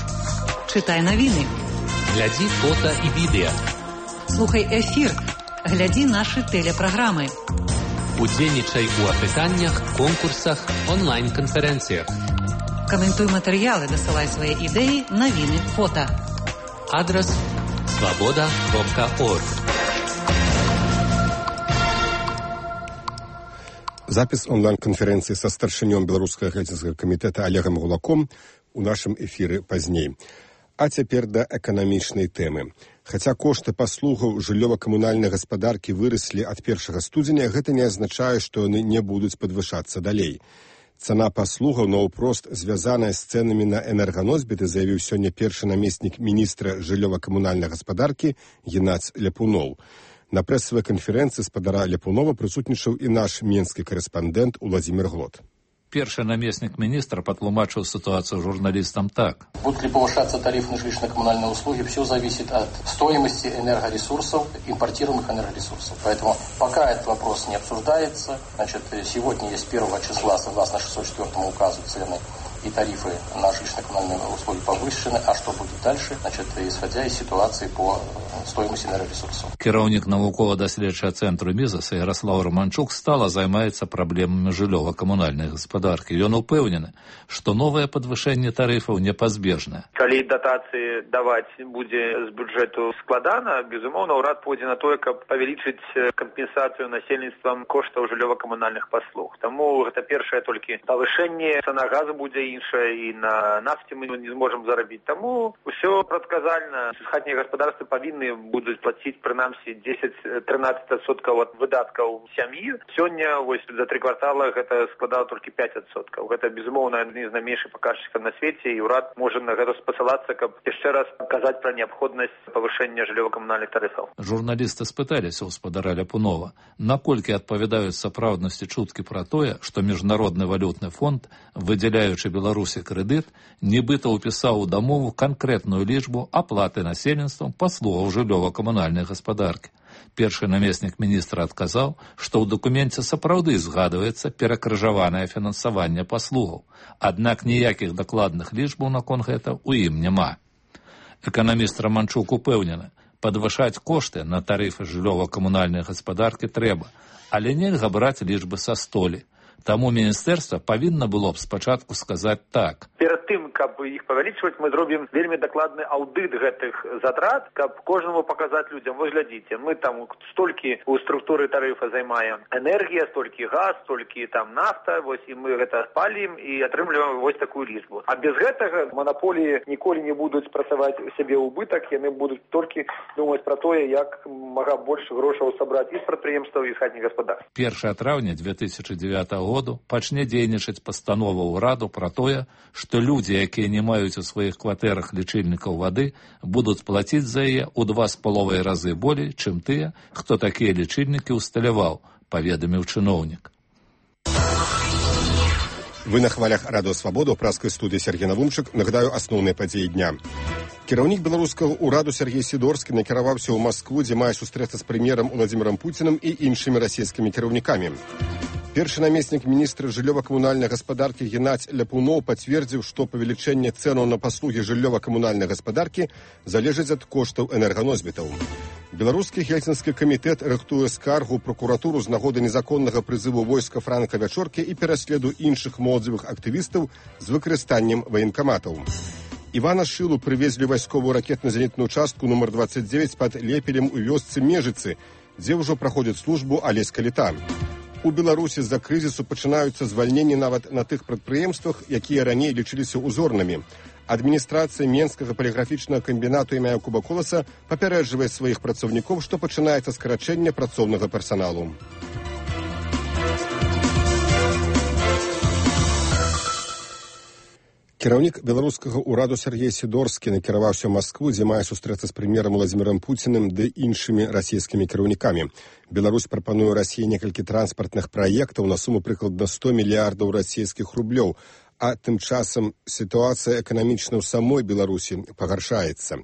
Читай новины. Гляди фото и видео. Слухай эфир. Гляди наши телепрограммы. Удзельнічай у апытаннях, конкурсах, онлайн-канферэнцыях. Каментуй матэрыялы, дасылай свае ідэі, навіны, фота. Адрес свобода кропка орг. Запіс онлайн-канферэнцыі са старшынём беларускага хельсінскага камітэта Олегам Гулаком у нашым эфіры пазней. А цяпер да эканамічнай тэмы. Хаця кошты паслугаў жыллёва-камунальнай гаспадаркі выраслі ад першага студзеня, гэта не азначае, што яны не будуць падвышацца далей. Цана паслугаў наўпрост звязаная з цэнамі на энерганосьбіты, заявіў сёння першы намеснік міністра жыллёва-камунальнай гаспадаркі Геннадзь Ляпуноў. На прэсавай канферэнцыі спадара Ляпунова прысутнічаў і наш менскі карэспандэнт Уладзімір Глот. Першы наместник министра потлумачил ситуацию журналистам так. Будут ли повышаться тарифы на жилищно-коммунальные услуги, все зависит от стоимости энергоресурсов, импортируемых энергоресурсов. Поэтому пока этот вопрос не обсуждается, значит, сегодня есть первого числа, согласно шестьсот четвёртому указу, цены и тарифы на жилищно-коммунальные услуги повышены. А что будет дальше? Значит, исходя из ситуации по стоимости энергоресурсов. Кіраўнік навукова-даследчага цэнтру Мізаса Ярослав Романчук стала займаецца праблемамі жыллёва-камунальнай гаспадаркі. Ён упэўнены, што новае падвышэнне тарыфаў непазбежнае. Калі датацыі даваць будзе з бюджэту складана, безумоўна, ўрад пойдзе на тое, каб павялічыць кампенсацыю насельніцтвам коштаў жыллёва-камунальных паслуг. Таму гэта першае толькі павышэнне, цана газу будзе іншая, і на нафце мы не зможам зарабіць. Таму ўсё прадказальна. Хатнія гаспадарствы павінны будуць плаціць прынамсі дзесяць-трынаццаць адсоткаў ад выдаткаў сям'і. Сёння вось за тры квартала гэта складала толькі пяць адсоткаў. Гэта безумоўна адзін з найменшых паказчыкаў на свеце, і ўрад можа на гэта спасылацца, каб яшчэ раз казаць пра неабходнасць павышэння жыллёва-камунальных тарыфаў. Журналісты спыталіся ў спадара Ляпунова, наколькі адпавядаюць сапраўднасці чуткі пра тое, што міжнародны валютны фонд, выдзяляючы Беларусі крэдыт, нібыта ўпісаў у дамову канкрэтную лічбу аплаты насельніцтвам паслугаў жыллёва-камунальнай гаспадаркі. Першы намеснік міністра адказаў, што ў дакуменце сапраўды згадваецца перакрыжаванае фінансаванне паслугаў, аднак ніякіх дакладных лічбаў наконт гэта ў ім няма. Эканаміст Романчук упэўнены, падвышаць кошты на тарыфы жыллёва-камунальнай гаспадаркі трэба, але нельга браць лічбы са столі. Таму міністэрства павінна было б спачатку сказаць так. Перад тым, каб іх павялічваць, мы зробім вельмі дакладны аўдыт гэтых затрат, каб кожнаму паказаць людзям, вось глядзіце, мы там столькі ў структуры тарыфа займаем энергія, столькі газ, столькі там нафта, вось і мы гэта палім і атрымліваем вось такую лічбу. А без гэтага манаполіі ніколі не будуць працаваць у сябе ўбытак, яны будуць толькі думаць пра тое, як мага больш грошаў сабраць і з прадпрыемстваў, і з хатніх гаспадарств. першага траўня две тысячы дзевятага году пачне дзейнічаць пастанова ўраду пра тое, што людзі, якія не маюць у сваіх кватэрах лічыльнікаў вады, будуць плаціць за яе ў два з паловай разы болей, чым тыя, хто такія лічыльнікі ўсталяваў, паведаміў чыноўнік. Вы на хвалях Радыё Свабода, ў праскай студыі Сергей Навумчык. Нагадаю асноўныя падзеі дня. Кіраўнік беларускага ўраду Сергей Сідорскі накіраваўся ў Маскву, дзе мае сустрэцца з прэм'ерам Уладзімірам Пуціным і іншымі расійскімі кіраўнікамі. Першы намеснік міністра жыллёва-камунальнай гаспадаркі Геннадзь Ляпуноў пацвердзіў, што павелічэнне цэнаў на паслугі жыллёва-камунальнай гаспадаркі залежыць ад коштаў энерганосьбітаў. Беларускі хельсінскі камітэт рыхтуе скаргу ў пракуратуру з нагоды незаконнага прызыву войска Франка Вячоркі і пераследу іншых моладзевых актывістаў з выкарыстаннем ваенкаматаў. Івана Шылу прывезлі вайсковую ракетна-зенітную частку нумар дваццаць дзевяць пад Лепелем у вёсцы Межыцы, дзе ўжо праходзіць службу Алеська Літа. У Беларусі з-за крызісу пачынаюцца звальненні нават на тых прадпрыемствах, якія раней лічыліся узорнымі. Адміністрацыя Менскага паліграфічнага камбінату імя Якуба Коласа папярэджвае сваіх працаўнікоў, што пачынаецца скарачэнне працоўнага персаналу. Кіраўнік беларускага ўраду Сергей Сідорскі накіраваўся ў Маскву, дзе мае сустрэцца з прэм'ерам Уладзімірам Пуціным ды іншымі расійскімі кіраўнікамі. Беларусь прапануе Расіі некалькі транспартных праектаў на суму прыкладна сто мільярдаў расійскіх рублёў, А тым часам сітуацыя эканамічна ў самой Беларусі пагаршаецца.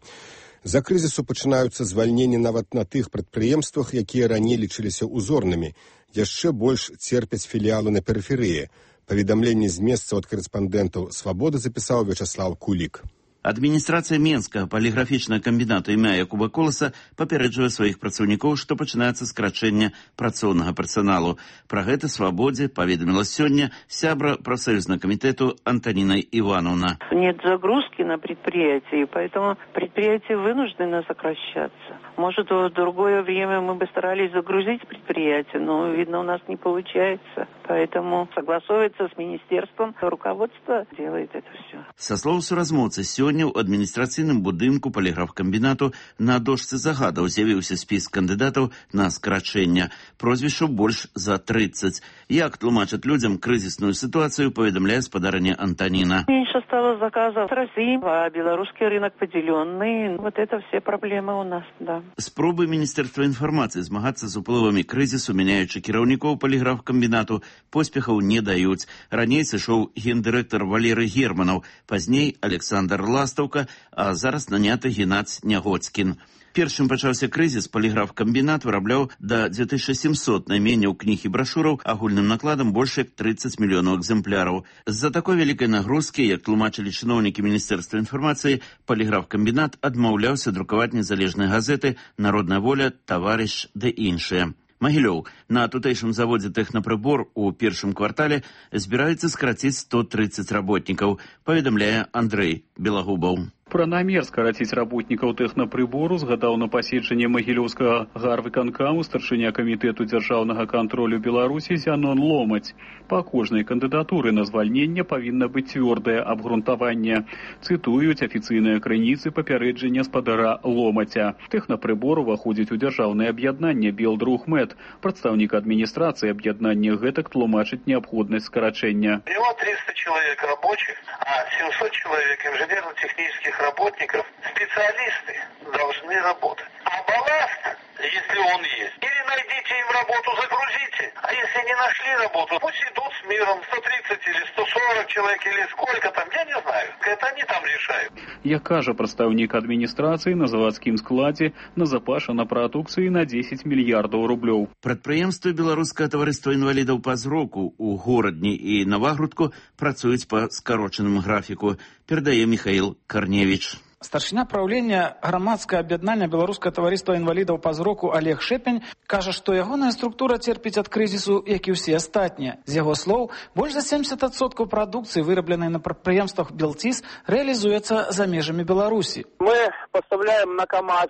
За крызісу пачынаюцца звальненні нават на тых прадпрыемствах, якія раней лічыліся узорнымі. Яшчэ больш церпяць філіалы на перыферыі. Паведамленне з месцаў ад корэспандэнтаў «Свабоды» запісаў Вячаслав Кулік. Адміністрацыя Менскага паліграфічнага камбінату імя Якуба Коласа папярэджвае сваіх працаўнікоў, што пачынаецца скарачэнне працоўнага персаналу. Пра гэта «Свабодзе» паведаміла сёння сябра прафсоюзнага камітэту Антонина Ивановна. Нет загрузки на предприятии, поэтому предприятия вынуждены сокращаться. Может, в другое время мы бы старались загрузить предприятие, но, видно, у нас не получается. Поэтому согласовывается с министерством, руководство делает это все. Со слов суразмоўцы, сёння ў адміністрацыйным будынку паліграфкамбінату на дошцы загадаў з'явіўся спіс кандыдатаў на скарачэнне. Прозвішчаў больш за тридцать. Як тлумачаць людзям крызісную ситуацию, паведамляе спадарыня Антонина. Меньше стало заказов с России, а белорусский рынок поделенный. Вот это все проблемы у нас, да. Спробы Міністэрства інфармацыі змагацца з уплывамі крызісу, мяняючы кіраўнікоў паліграфкамбінату, поспехаў не даюць. Раней сышоў гендырэктар Валерый Германаў, пазней Александр Ластаўка, а зараз наняты Геннадзь Нягоцкін. Першым пачаўся крызіс, паліграфкамбінат вырабляў да две тысячи семьсот найменняў кніг і брашураў агульным накладам больш як тридцать мільёнаў экземпляраў. З-за такой вялікай нагрузкі, як тлумачылі чыноўнікі Міністэрства інфармацыі, паліграфкамбінат адмаўляўся друкаваць незалежныя газеты «Народная воля», «Таварыш» ды іншыя. Магілёў. На тутэйшым заводзе «Тэхнапрыбор» у першым квартале збіраюцца скараціць сто тридцать работнікаў, паведамляе Андрэй Белагубаў. Пра намер скараціць работнікаў тэхнапрыбору згадаў на паседжанні магілёўскага гарвыканкаму старшыня камітэту дзяржаўнага кантролю Беларусі Зянон Ломаць. Па кожнай кандыдатуры на звальненне павінна быць цвёрдае абгрунтаванне. Цытуюць афіцыйныя крыніцы папярэджання спадара Ломаця. Тэхнапрыбор уваходзіць у дзяржаўнае аб'яднанне Белдрухмет. Прадстаўнік адміністрацыі аб'яднання гэтак тлумачыць неабходнасць скарачэння. Всего триста человек рабочих, а семьсот человек инженерно-технических работников, специалисты должны работать. А балласт, если он есть, или найдите им работу, загрузите. А если не нашли работу, пусть идут с миром. сто тридцать или сто сорок человек, или сколько там, я не знаю. Это они там решают. Як кажа прадстаўнік адміністрацыі, на завадскім складзе назапашана прадукцыі на десять мільярдаў рублёў. Прадпрыемствы Беларускага таварыства інвалідаў па зроку ў горадні і Навагрудку працуюць па скарочаным графіку, перадае Михаил Корневич. Старшыня праўлення грамадскага аб'яднання беларускага таварыства інвалідаў па зроку Олег Шэпень кажа, што ягоная структура церпіць ад крызісу, як і ўсе астатнія. З яго слоў, больш за семьдесят адсоткаў прадукцыі, вырабленай на прадпрыемствах Белтис, реализуецца за межамі Беларусі. Мы поставляем на КАМАЗ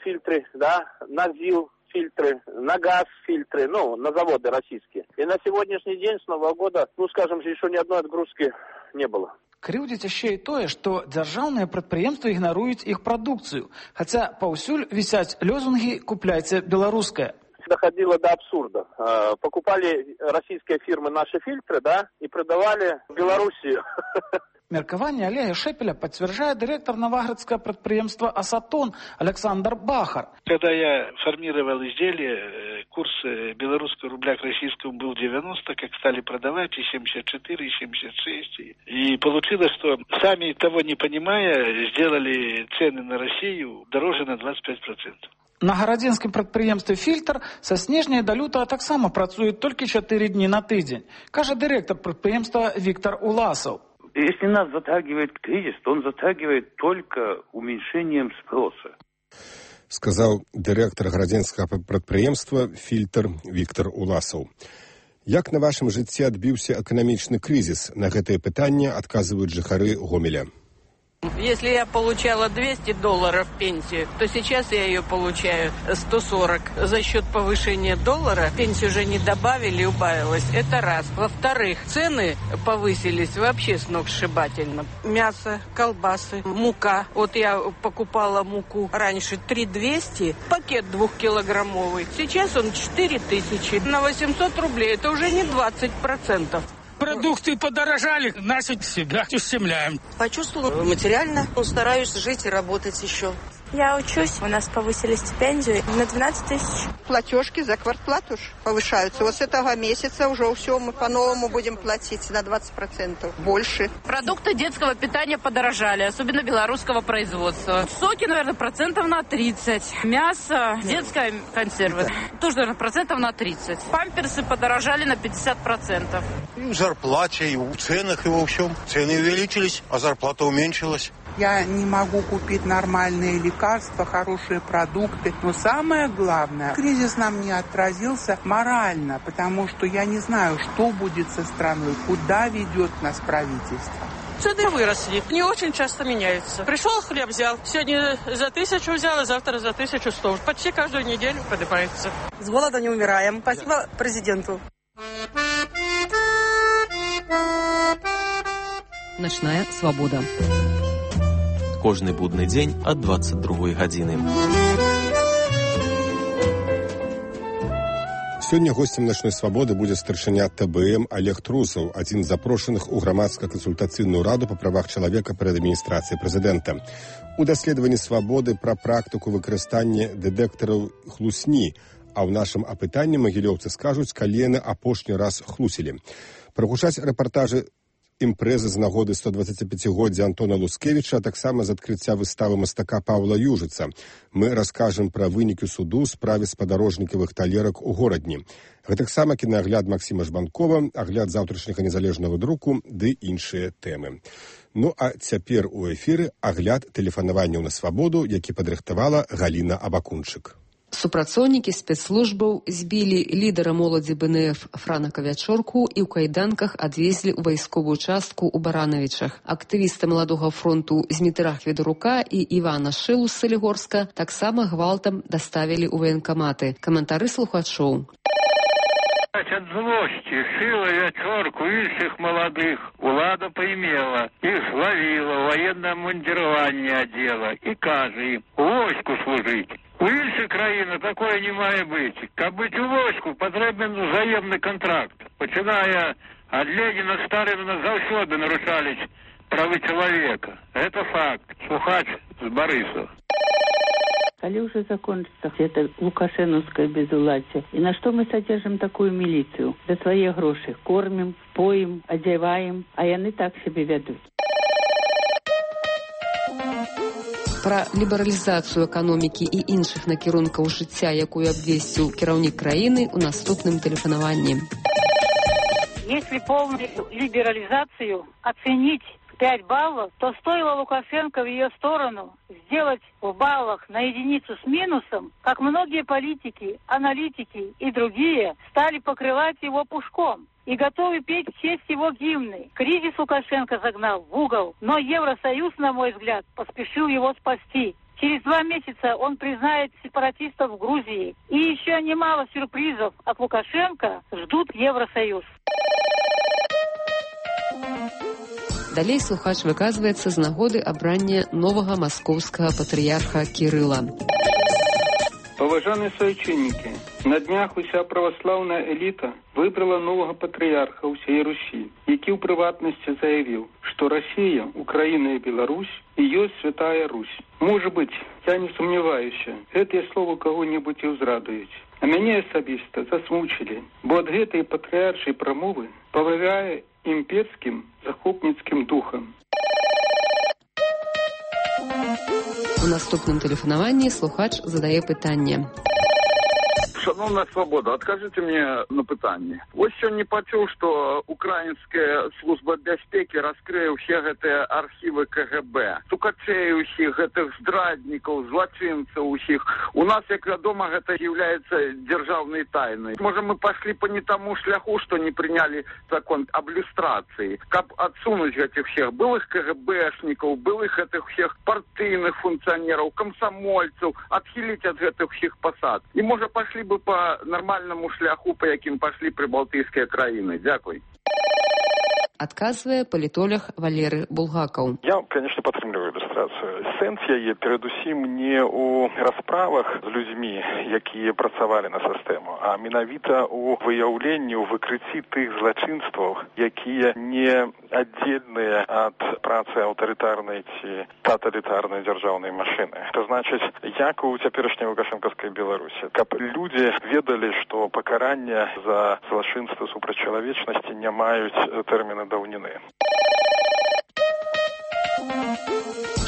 фильтры, да, на ЗИЛ фильтры, на газ фильтры, ну, на заводы российские. И на сегодняшний день с Нового года, ну, скажем, еще ни одной отгрузки не было. Крыўдзіць яшчэ і тое, што дзяржаўныя прадпрыемствы ігнаруюць іх прадукцыю, хаця паўсюль вісяць лёзунгі «Купляйце беларускае». Доходило до абсурда. Покупали российские фирмы наши фильтры, да, и продавали в Беларуси. Меркаванне Олега Шепеля подтверждает директор новоградского предприемства «Асатон» Александр Бахар. Когда я формировал изделие, курс белорусского рубля к российскому был девяносто, как стали продавать и семьдесят четыре, и семьдесят шесть. И получилось, что сами того не понимая, сделали цены на Россию дороже на двадцать пять процентов. На гарадзенскім прадпрыемстве «Фильтр» са снежня да лютага таксама працуюць толькі чатыры дні на тыдзень, кажа дырэктар прадпрыемства Виктор Уласов. Если нас затягивает кризис, то он затягивает только уменьшением спроса. Сказаў дырэктар гарадзенскага прадпрыемства «Фильтр» Виктор Уласов. Як на вашым жыцці адбіўся эканамічны крызіс? На гэтае пытанне адказваюць жыхары Гомеля. Если я получала двести долларов пенсию, то сейчас я ее получаю сто сорок. За счет повышения доллара пенсию уже не добавили, убавилось. Это раз. Во-вторых, цены повысились вообще сногсшибательно. Мясо, колбасы, мука. Вот я покупала муку раньше три двести, пакет двухкилограммовый. Сейчас он четыре тысячи. На восемьсот рублей. Это уже не двадцать процентов. Продукты подорожали, нас себя ущемляем. Почувствовала материально, стараюсь жить и работать еще. Я учусь, у нас повысили стипендию на двенадцать тысяч. Платежки за квартплату повышаются. Вот с этого месяца уже все мы по-новому будем платить на двадцать процентов больше. Продукты детского питания подорожали, особенно белорусского производства. Соки, наверное, процентов на тридцать. Мясо, детская консервы, тоже, наверное, процентов на тридцать. Памперсы подорожали на пятьдесят процентов. И в зарплате, и в ценах, и во всем. Цены увеличились, а зарплата уменьшилась. Я не могу купить нормальные лекарства, хорошие продукты. Но самое главное, кризис нам не отразился морально, потому что я не знаю, что будет со страной, куда ведет нас правительство. Цены выросли, не очень часто меняются. Пришел, хлеб взял, сегодня за тысячу взял, а завтра за тысячу сто. Почти каждую неделю поднимается. С голода не умираем. Спасибо президенту. Ночная свобода. Кожны будны дзень ад двадцать другой гадзіны. Сёння гостем «Ночной свободы» будзе старшыня Тэ Бэ Эм Олег Трусаў, адзін з запрошаных у грамадска-кансультацыйную раду па правах чалавека перад адміністрацыяй прэзідэнта. У даследаванні свабоды пра практыку выкарыстання дэтэктараў хлусні, а ў нашым апытанні магілёўцы скажуць, калі яны апошні раз хлусілі. Прагучаць рэпартажы імпрэзы з нагоды сто дваццаціпяцігоддзя Антона Лускевіча, а таксама з адкрыцця выставы мастака Паўла Южыца. Мы раскажам пра вынікі суду ў справе спадарожнікавых талерак у горадні. Гэтаксама кінаагляд Максіма Жбанкова, агляд заўтрашняга незалежнага друку ды іншыя тэмы. Ну а цяпер у эфіры агляд тэлефанаванняў на свабоду, які падрыхтавала Галіна Абакунчык. Супрацоўнікі спецслужбаў збілі лідара моладзі Бэ Эн Эф Франака Вячорку і ў кайданках адвезлі ў вайсковую частку ў Баранавічах. Актывісты маладога фронту Змітрах Ведарука і Івана Шылу з Салігорска таксама гвалтам даставілі ў ваенкаматы. Каментары слухачоў. Ад злосці Шыла, Вячорку і іншых маладых улада паймела, іх злавіла, ваеннае мундзіраванне адзела і кажа ім у войску служыць. У іншых краіны такое не мае быць. Каб быць у войску, патрэбен узаемны кантракт. Пачыная ад Леніна, Сталіна заўсёды нарушались правы чалавека. Это факт. Слухач з Барысаў. Коли уже закончится это лукашеновское безуладие? И на что мы содержим такую милицию? За свои гроши кормим, поим, одеваем, а яны так себе ведут. Пра лібералізацыю эканомікі і іншых накірункаў жыцця, якую абвесціў кіраўнік краіны ў наступным тэлефанаванні. Если полную либерализацию оценить пять баллов, то стоило Лукашенко в ее сторону сделать в баллах на единицу с минусом, как многие политики, аналитики и другие стали покрывать его пушком и готовы петь в честь его гимны. Кризис Лукашенко загнал в угол, но Евросоюз, на мой взгляд, поспешил его спасти. Через два месяца он признает сепаратистов в Грузии. И еще немало сюрпризов от Лукашенко ждут Евросоюз. Далей слухач выказваецца з нагоды абрання новага маскоўскага патрыярха Кірыла. Поважанные соученники, на днях уся православная элита выбрала нового патриарха усей Руси, який у приватности заявил, что Россия, Украина и Беларусь – ее святая Русь. Может быть, я не сомневаюсь, это слово кого-нибудь и узрадует. А меня особисто засмучили, бо от этой патриаршей промовы повиває імперським захопницьким духом. У наступным тэлефанаванні слухач задае пытанне. Шановна свобода, откажите мне на пытанне. Ось сёння пачуў, што украінская служба бяспекі раскрые ўсе гэтыя архівы Ка Гэ Бэ. Сукачэй усіх, гэтых здраднікаў, злачынцаў усіх. У нас, як вядома, гэта является дзяржаўнай тайной. Можа, мы пошли по не тому шляху, што не приняли закон об люстрации. Каб адсунуць гэтых всех былых Ка Гэ Бэшнікаў, былых гэтых всех партыйных функцыянераў, камсамольцаў, адхіліць ад гэтых всех пасад. І можа, пошли бы по нормальному шляху, по яким пошли прибалтийские краины. Дякую. Адказвае палітолог Валеры Булгакаў. Я, конечно, падтрымліваю ілюстрацыю. Сэнс яе перадусім не ў расправах з людзьмі, якія працавалі на сістэму, а менавіта ў выяўленні, ў выкрыцці тых злачынстваў, якія не аддзельныя ад працы аўтарытарнай ці таталітарнай дзяржаўнай машыны. Это значыць, як у цяперашняй лукашэнкаўскай Беларусі, каб людзі ведалі, што пакарання за злачынствы супраць чалавечнасці не маюць тэрміны даўніны.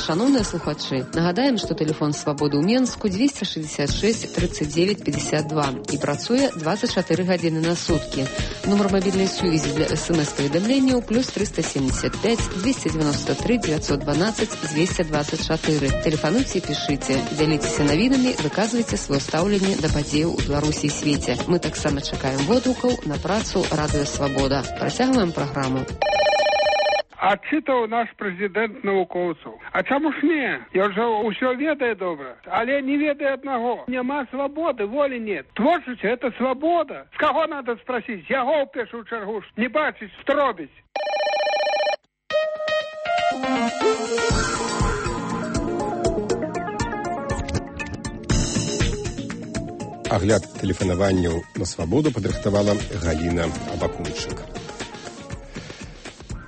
Шановныя слухачы, нагадаем, што тэлефон Свабоды ў Менску двести шестьдесят шесть тридцать девять пятьдесят два і працуе двадцать четыре гадзіны на суткі. Нумар мабільнай сувязі для смс-паведамленняў плюс триста семьдесят пять двести девяносто три девятьсот двенадцать двести двадцать четыре. Тэлефануйце і пішыце, дзяліцеся навінамі, выказвайце сваё стаўленне да падзеяў у Беларусі і свеце. Мы таксама чакаем водгукаў на працу Радыё Свабода. Працягваем праграму. Адчытаў наш прэзідэнт навукоўцаў. А чаму ж не? Я ўжо ўсё ведае добра, але не ведае аднаго. Няма свабоды, волі нет. Творчасць – это свабода. З каго надо спросіць? Яго ў першую чаргу не бачыць, што робіць. Агляд тэлефанаванняў на свабоду падрыхтавала Галіна Абакунчык.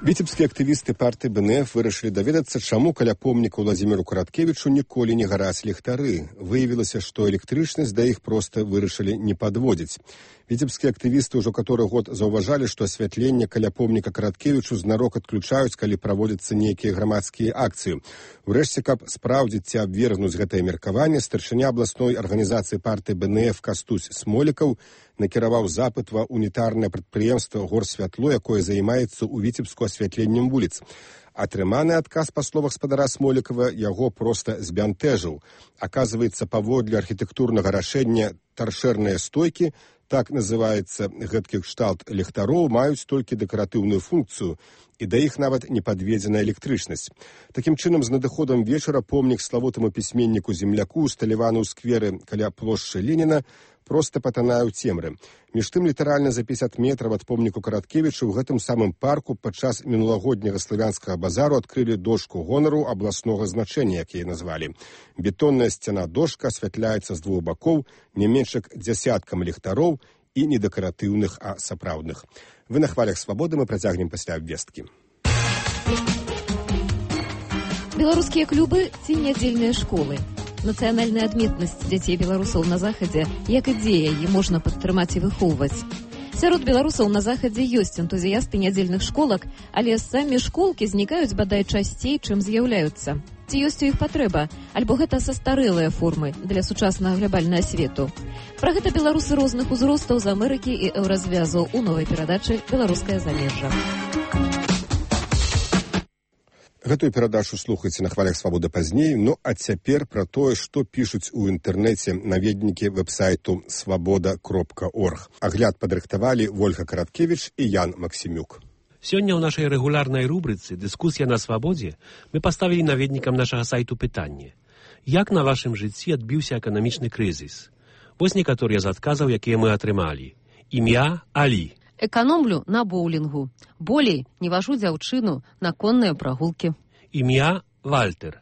Віцебскія актывісты партыі бэ эн эф вырашылі даведацца, чаму каля помніка Владзіміру Караткевічу ніколі не гараць ліхтары. Выявілася, што электрычнасць да іх проста вырашылі не падводзіць. Віцебскія актывісты ўжо каторы год заўважалі, што асвятленне каля помніка Караткевічу знарок адключаюць, калі праводзяцца нейкія грамадскія акцыі. Урэшце, каб спраўдзіць ці абвергнуць гэтае меркаванне, старшыня абласной арганізацыі партыі бэ эн эф Кастусь Смолікаў накіраваў запыт ва унітарнае прадпрыемства «Горсвятло», якое займаецца ў Віцебску асвятленнем вуліц. Атрыманы адказ, па словах спадара Смолікава, яго проста збянтэжыў. Аказваецца, паводле архітэктурнага рашэння таршэрныя стойкі, так называецца гэткі кшталт ліхтароў, маюць толькі дэкаратыўную функцыю, і да іх нават не падведзена электрычнасць. Такім чынам, з надыходам вечара помнік славутаму пісьменніку земляку, усталяваны ў скверы каля плошчы Леніна, проста патанае ў цемры. Між тым, літаральна за пятьдесят метраў ад помніку Караткевічу ў гэтым самым парку падчас мінулагодняга славянскага базару адкрылі дошку гонару абласнога значэння, як яе назвалі. Бетонная сцяна-дошка асвятляецца з двух бакоў не менш як дзясяткам ліхтароў і не дэкаратыўных, а сапраўдных. Вы на хвалях свабоды, мы працягнем пасля абвесткі. Беларускія клубы ці нядзельныя школы. Нацыянальная адметнасць дзяцей беларусаў на захадзе, як ідзея, яе можна падтрымаць і выхоўваць. Сярод беларусаў на захадзе ёсць энтузіясты нядзельных школак, але самі школкі знікаюць бадай часцей, чым з'яўляюцца. Ці ёсць у іх патрэба, альбо гэта састарэлыя формы для сучаснага глябальнага свету. Пра гэта беларусы розных узростаў з Амерыкі і еўразвязу ў новай перадачы «Беларускае замежжа». Гэтую перадачу слухайце на хвалях свабоды пазней, ну а цяпер пра тое, што пішуць у інтэрнэце наведнікі вэб-сайту свабода кропка орг. Агляд падрыхтавалі Вольга Караткевіч і Ян Максімюк. Сёння ў нашай рэгулярнай рубрыцы «Дыскусія на свабодзе» мы паставілі наведнікам нашага сайту пытанне. Як на вашым жыцці адбіўся эканамічны крызіс? Вось некаторыя з адказаў, якія мы атрымалі. Імя Алі. Эканомлю на боулінгу. Болей не важу дзяўчыну на конныя прагулкі. Імя Вальтер.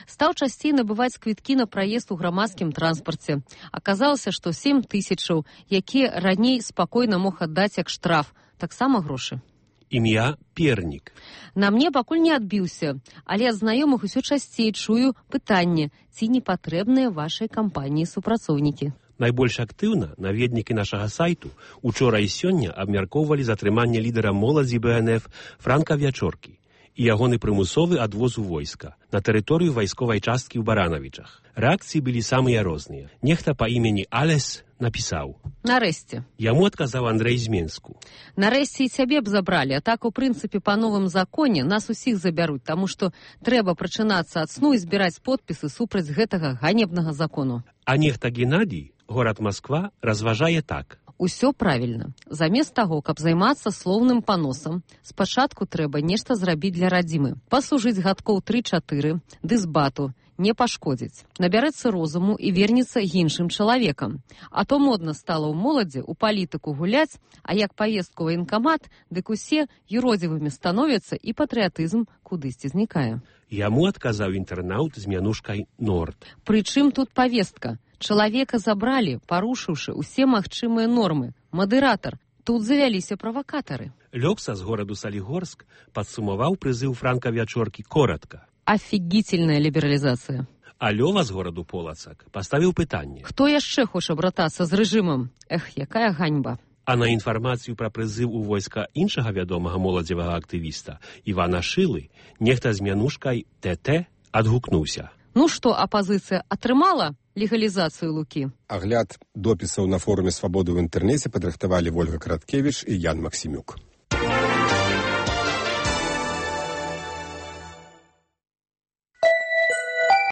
Стаў часцей набываць квіткі на праезд у грамадскім транспарце. Аказалася, што сем тысячаў, якія раней спакойна мог аддаць як штраф, таксама грошы. Імя Пернік. На мне пакуль не адбіўся, але ад знаёмых усё часцей чую пытанне, ці не патрэбныя вашай кампаніі супрацоўнікі. Найбольш актыўна наведнікі нашага сайту учора і сёння абмяркоўвалі затрыманне лідара моладзі бэ эн эф Франка Вячоркі і ягоны прымусовы адвоз у войска на тэрыторыю вайсковай часткі ў Баранавічах. Рэакцыі былі самыя розныя. Нехта па імені Алес напісаў: Нарэшце. Яму адказаў Андрэй з Менску. Нарэшце і цябе б забралі, а так у прынцыпе па новым законе нас усіх забяруць, таму што трэба прачынацца ад сну і збіраць подпісы супраць гэтага ганебнага закону. А нехта Геннадій, горад Москва, разважае так. Усё правільна. Замест таго, каб займацца слоўным паносам, спачатку трэба нешта зрабіць для радзімы. Паслужыць гадкоў тры-чатыры, ды з бату, не пашкодзіць. Набярэцца розуму і вернецца іншым чалавекам. А то модна стала ў моладзі ў палітыку гуляць, а як паездку ў ваенкамат, дык усе юродзівымі становяцца і патрыятызм кудысьці знікае. Яму адказаў інтэрнаўт з мянушкай Норд. Прычым тут павестка? Чалавека забралі, парушыўшы ўсе магчымыя нормы. Мадыратар, тут завяліся правакатары. Лёкса з гораду Салігорск падсумаваў прызыў Франка Вячоркі коротка. Офигительная лібералізацыя. А Лёва з гораду Полацак паставіў пытанне. Хто яшчэ хоча братацца з рэжымам? Эх, якая ганьба. А на інфармацыю пра прызыў у войска іншага вядомага моладзевага актывіста Івана Шылы нехта з мянушкай ТТ адгукнуўся. Ну што, апазіцыя атрымала легалізацыю лукі? Агляд допісаў на форуме «Свабоды» ў інтэрнэце падрыхтавалі Вольга Караткевіч і Ян Максімюк.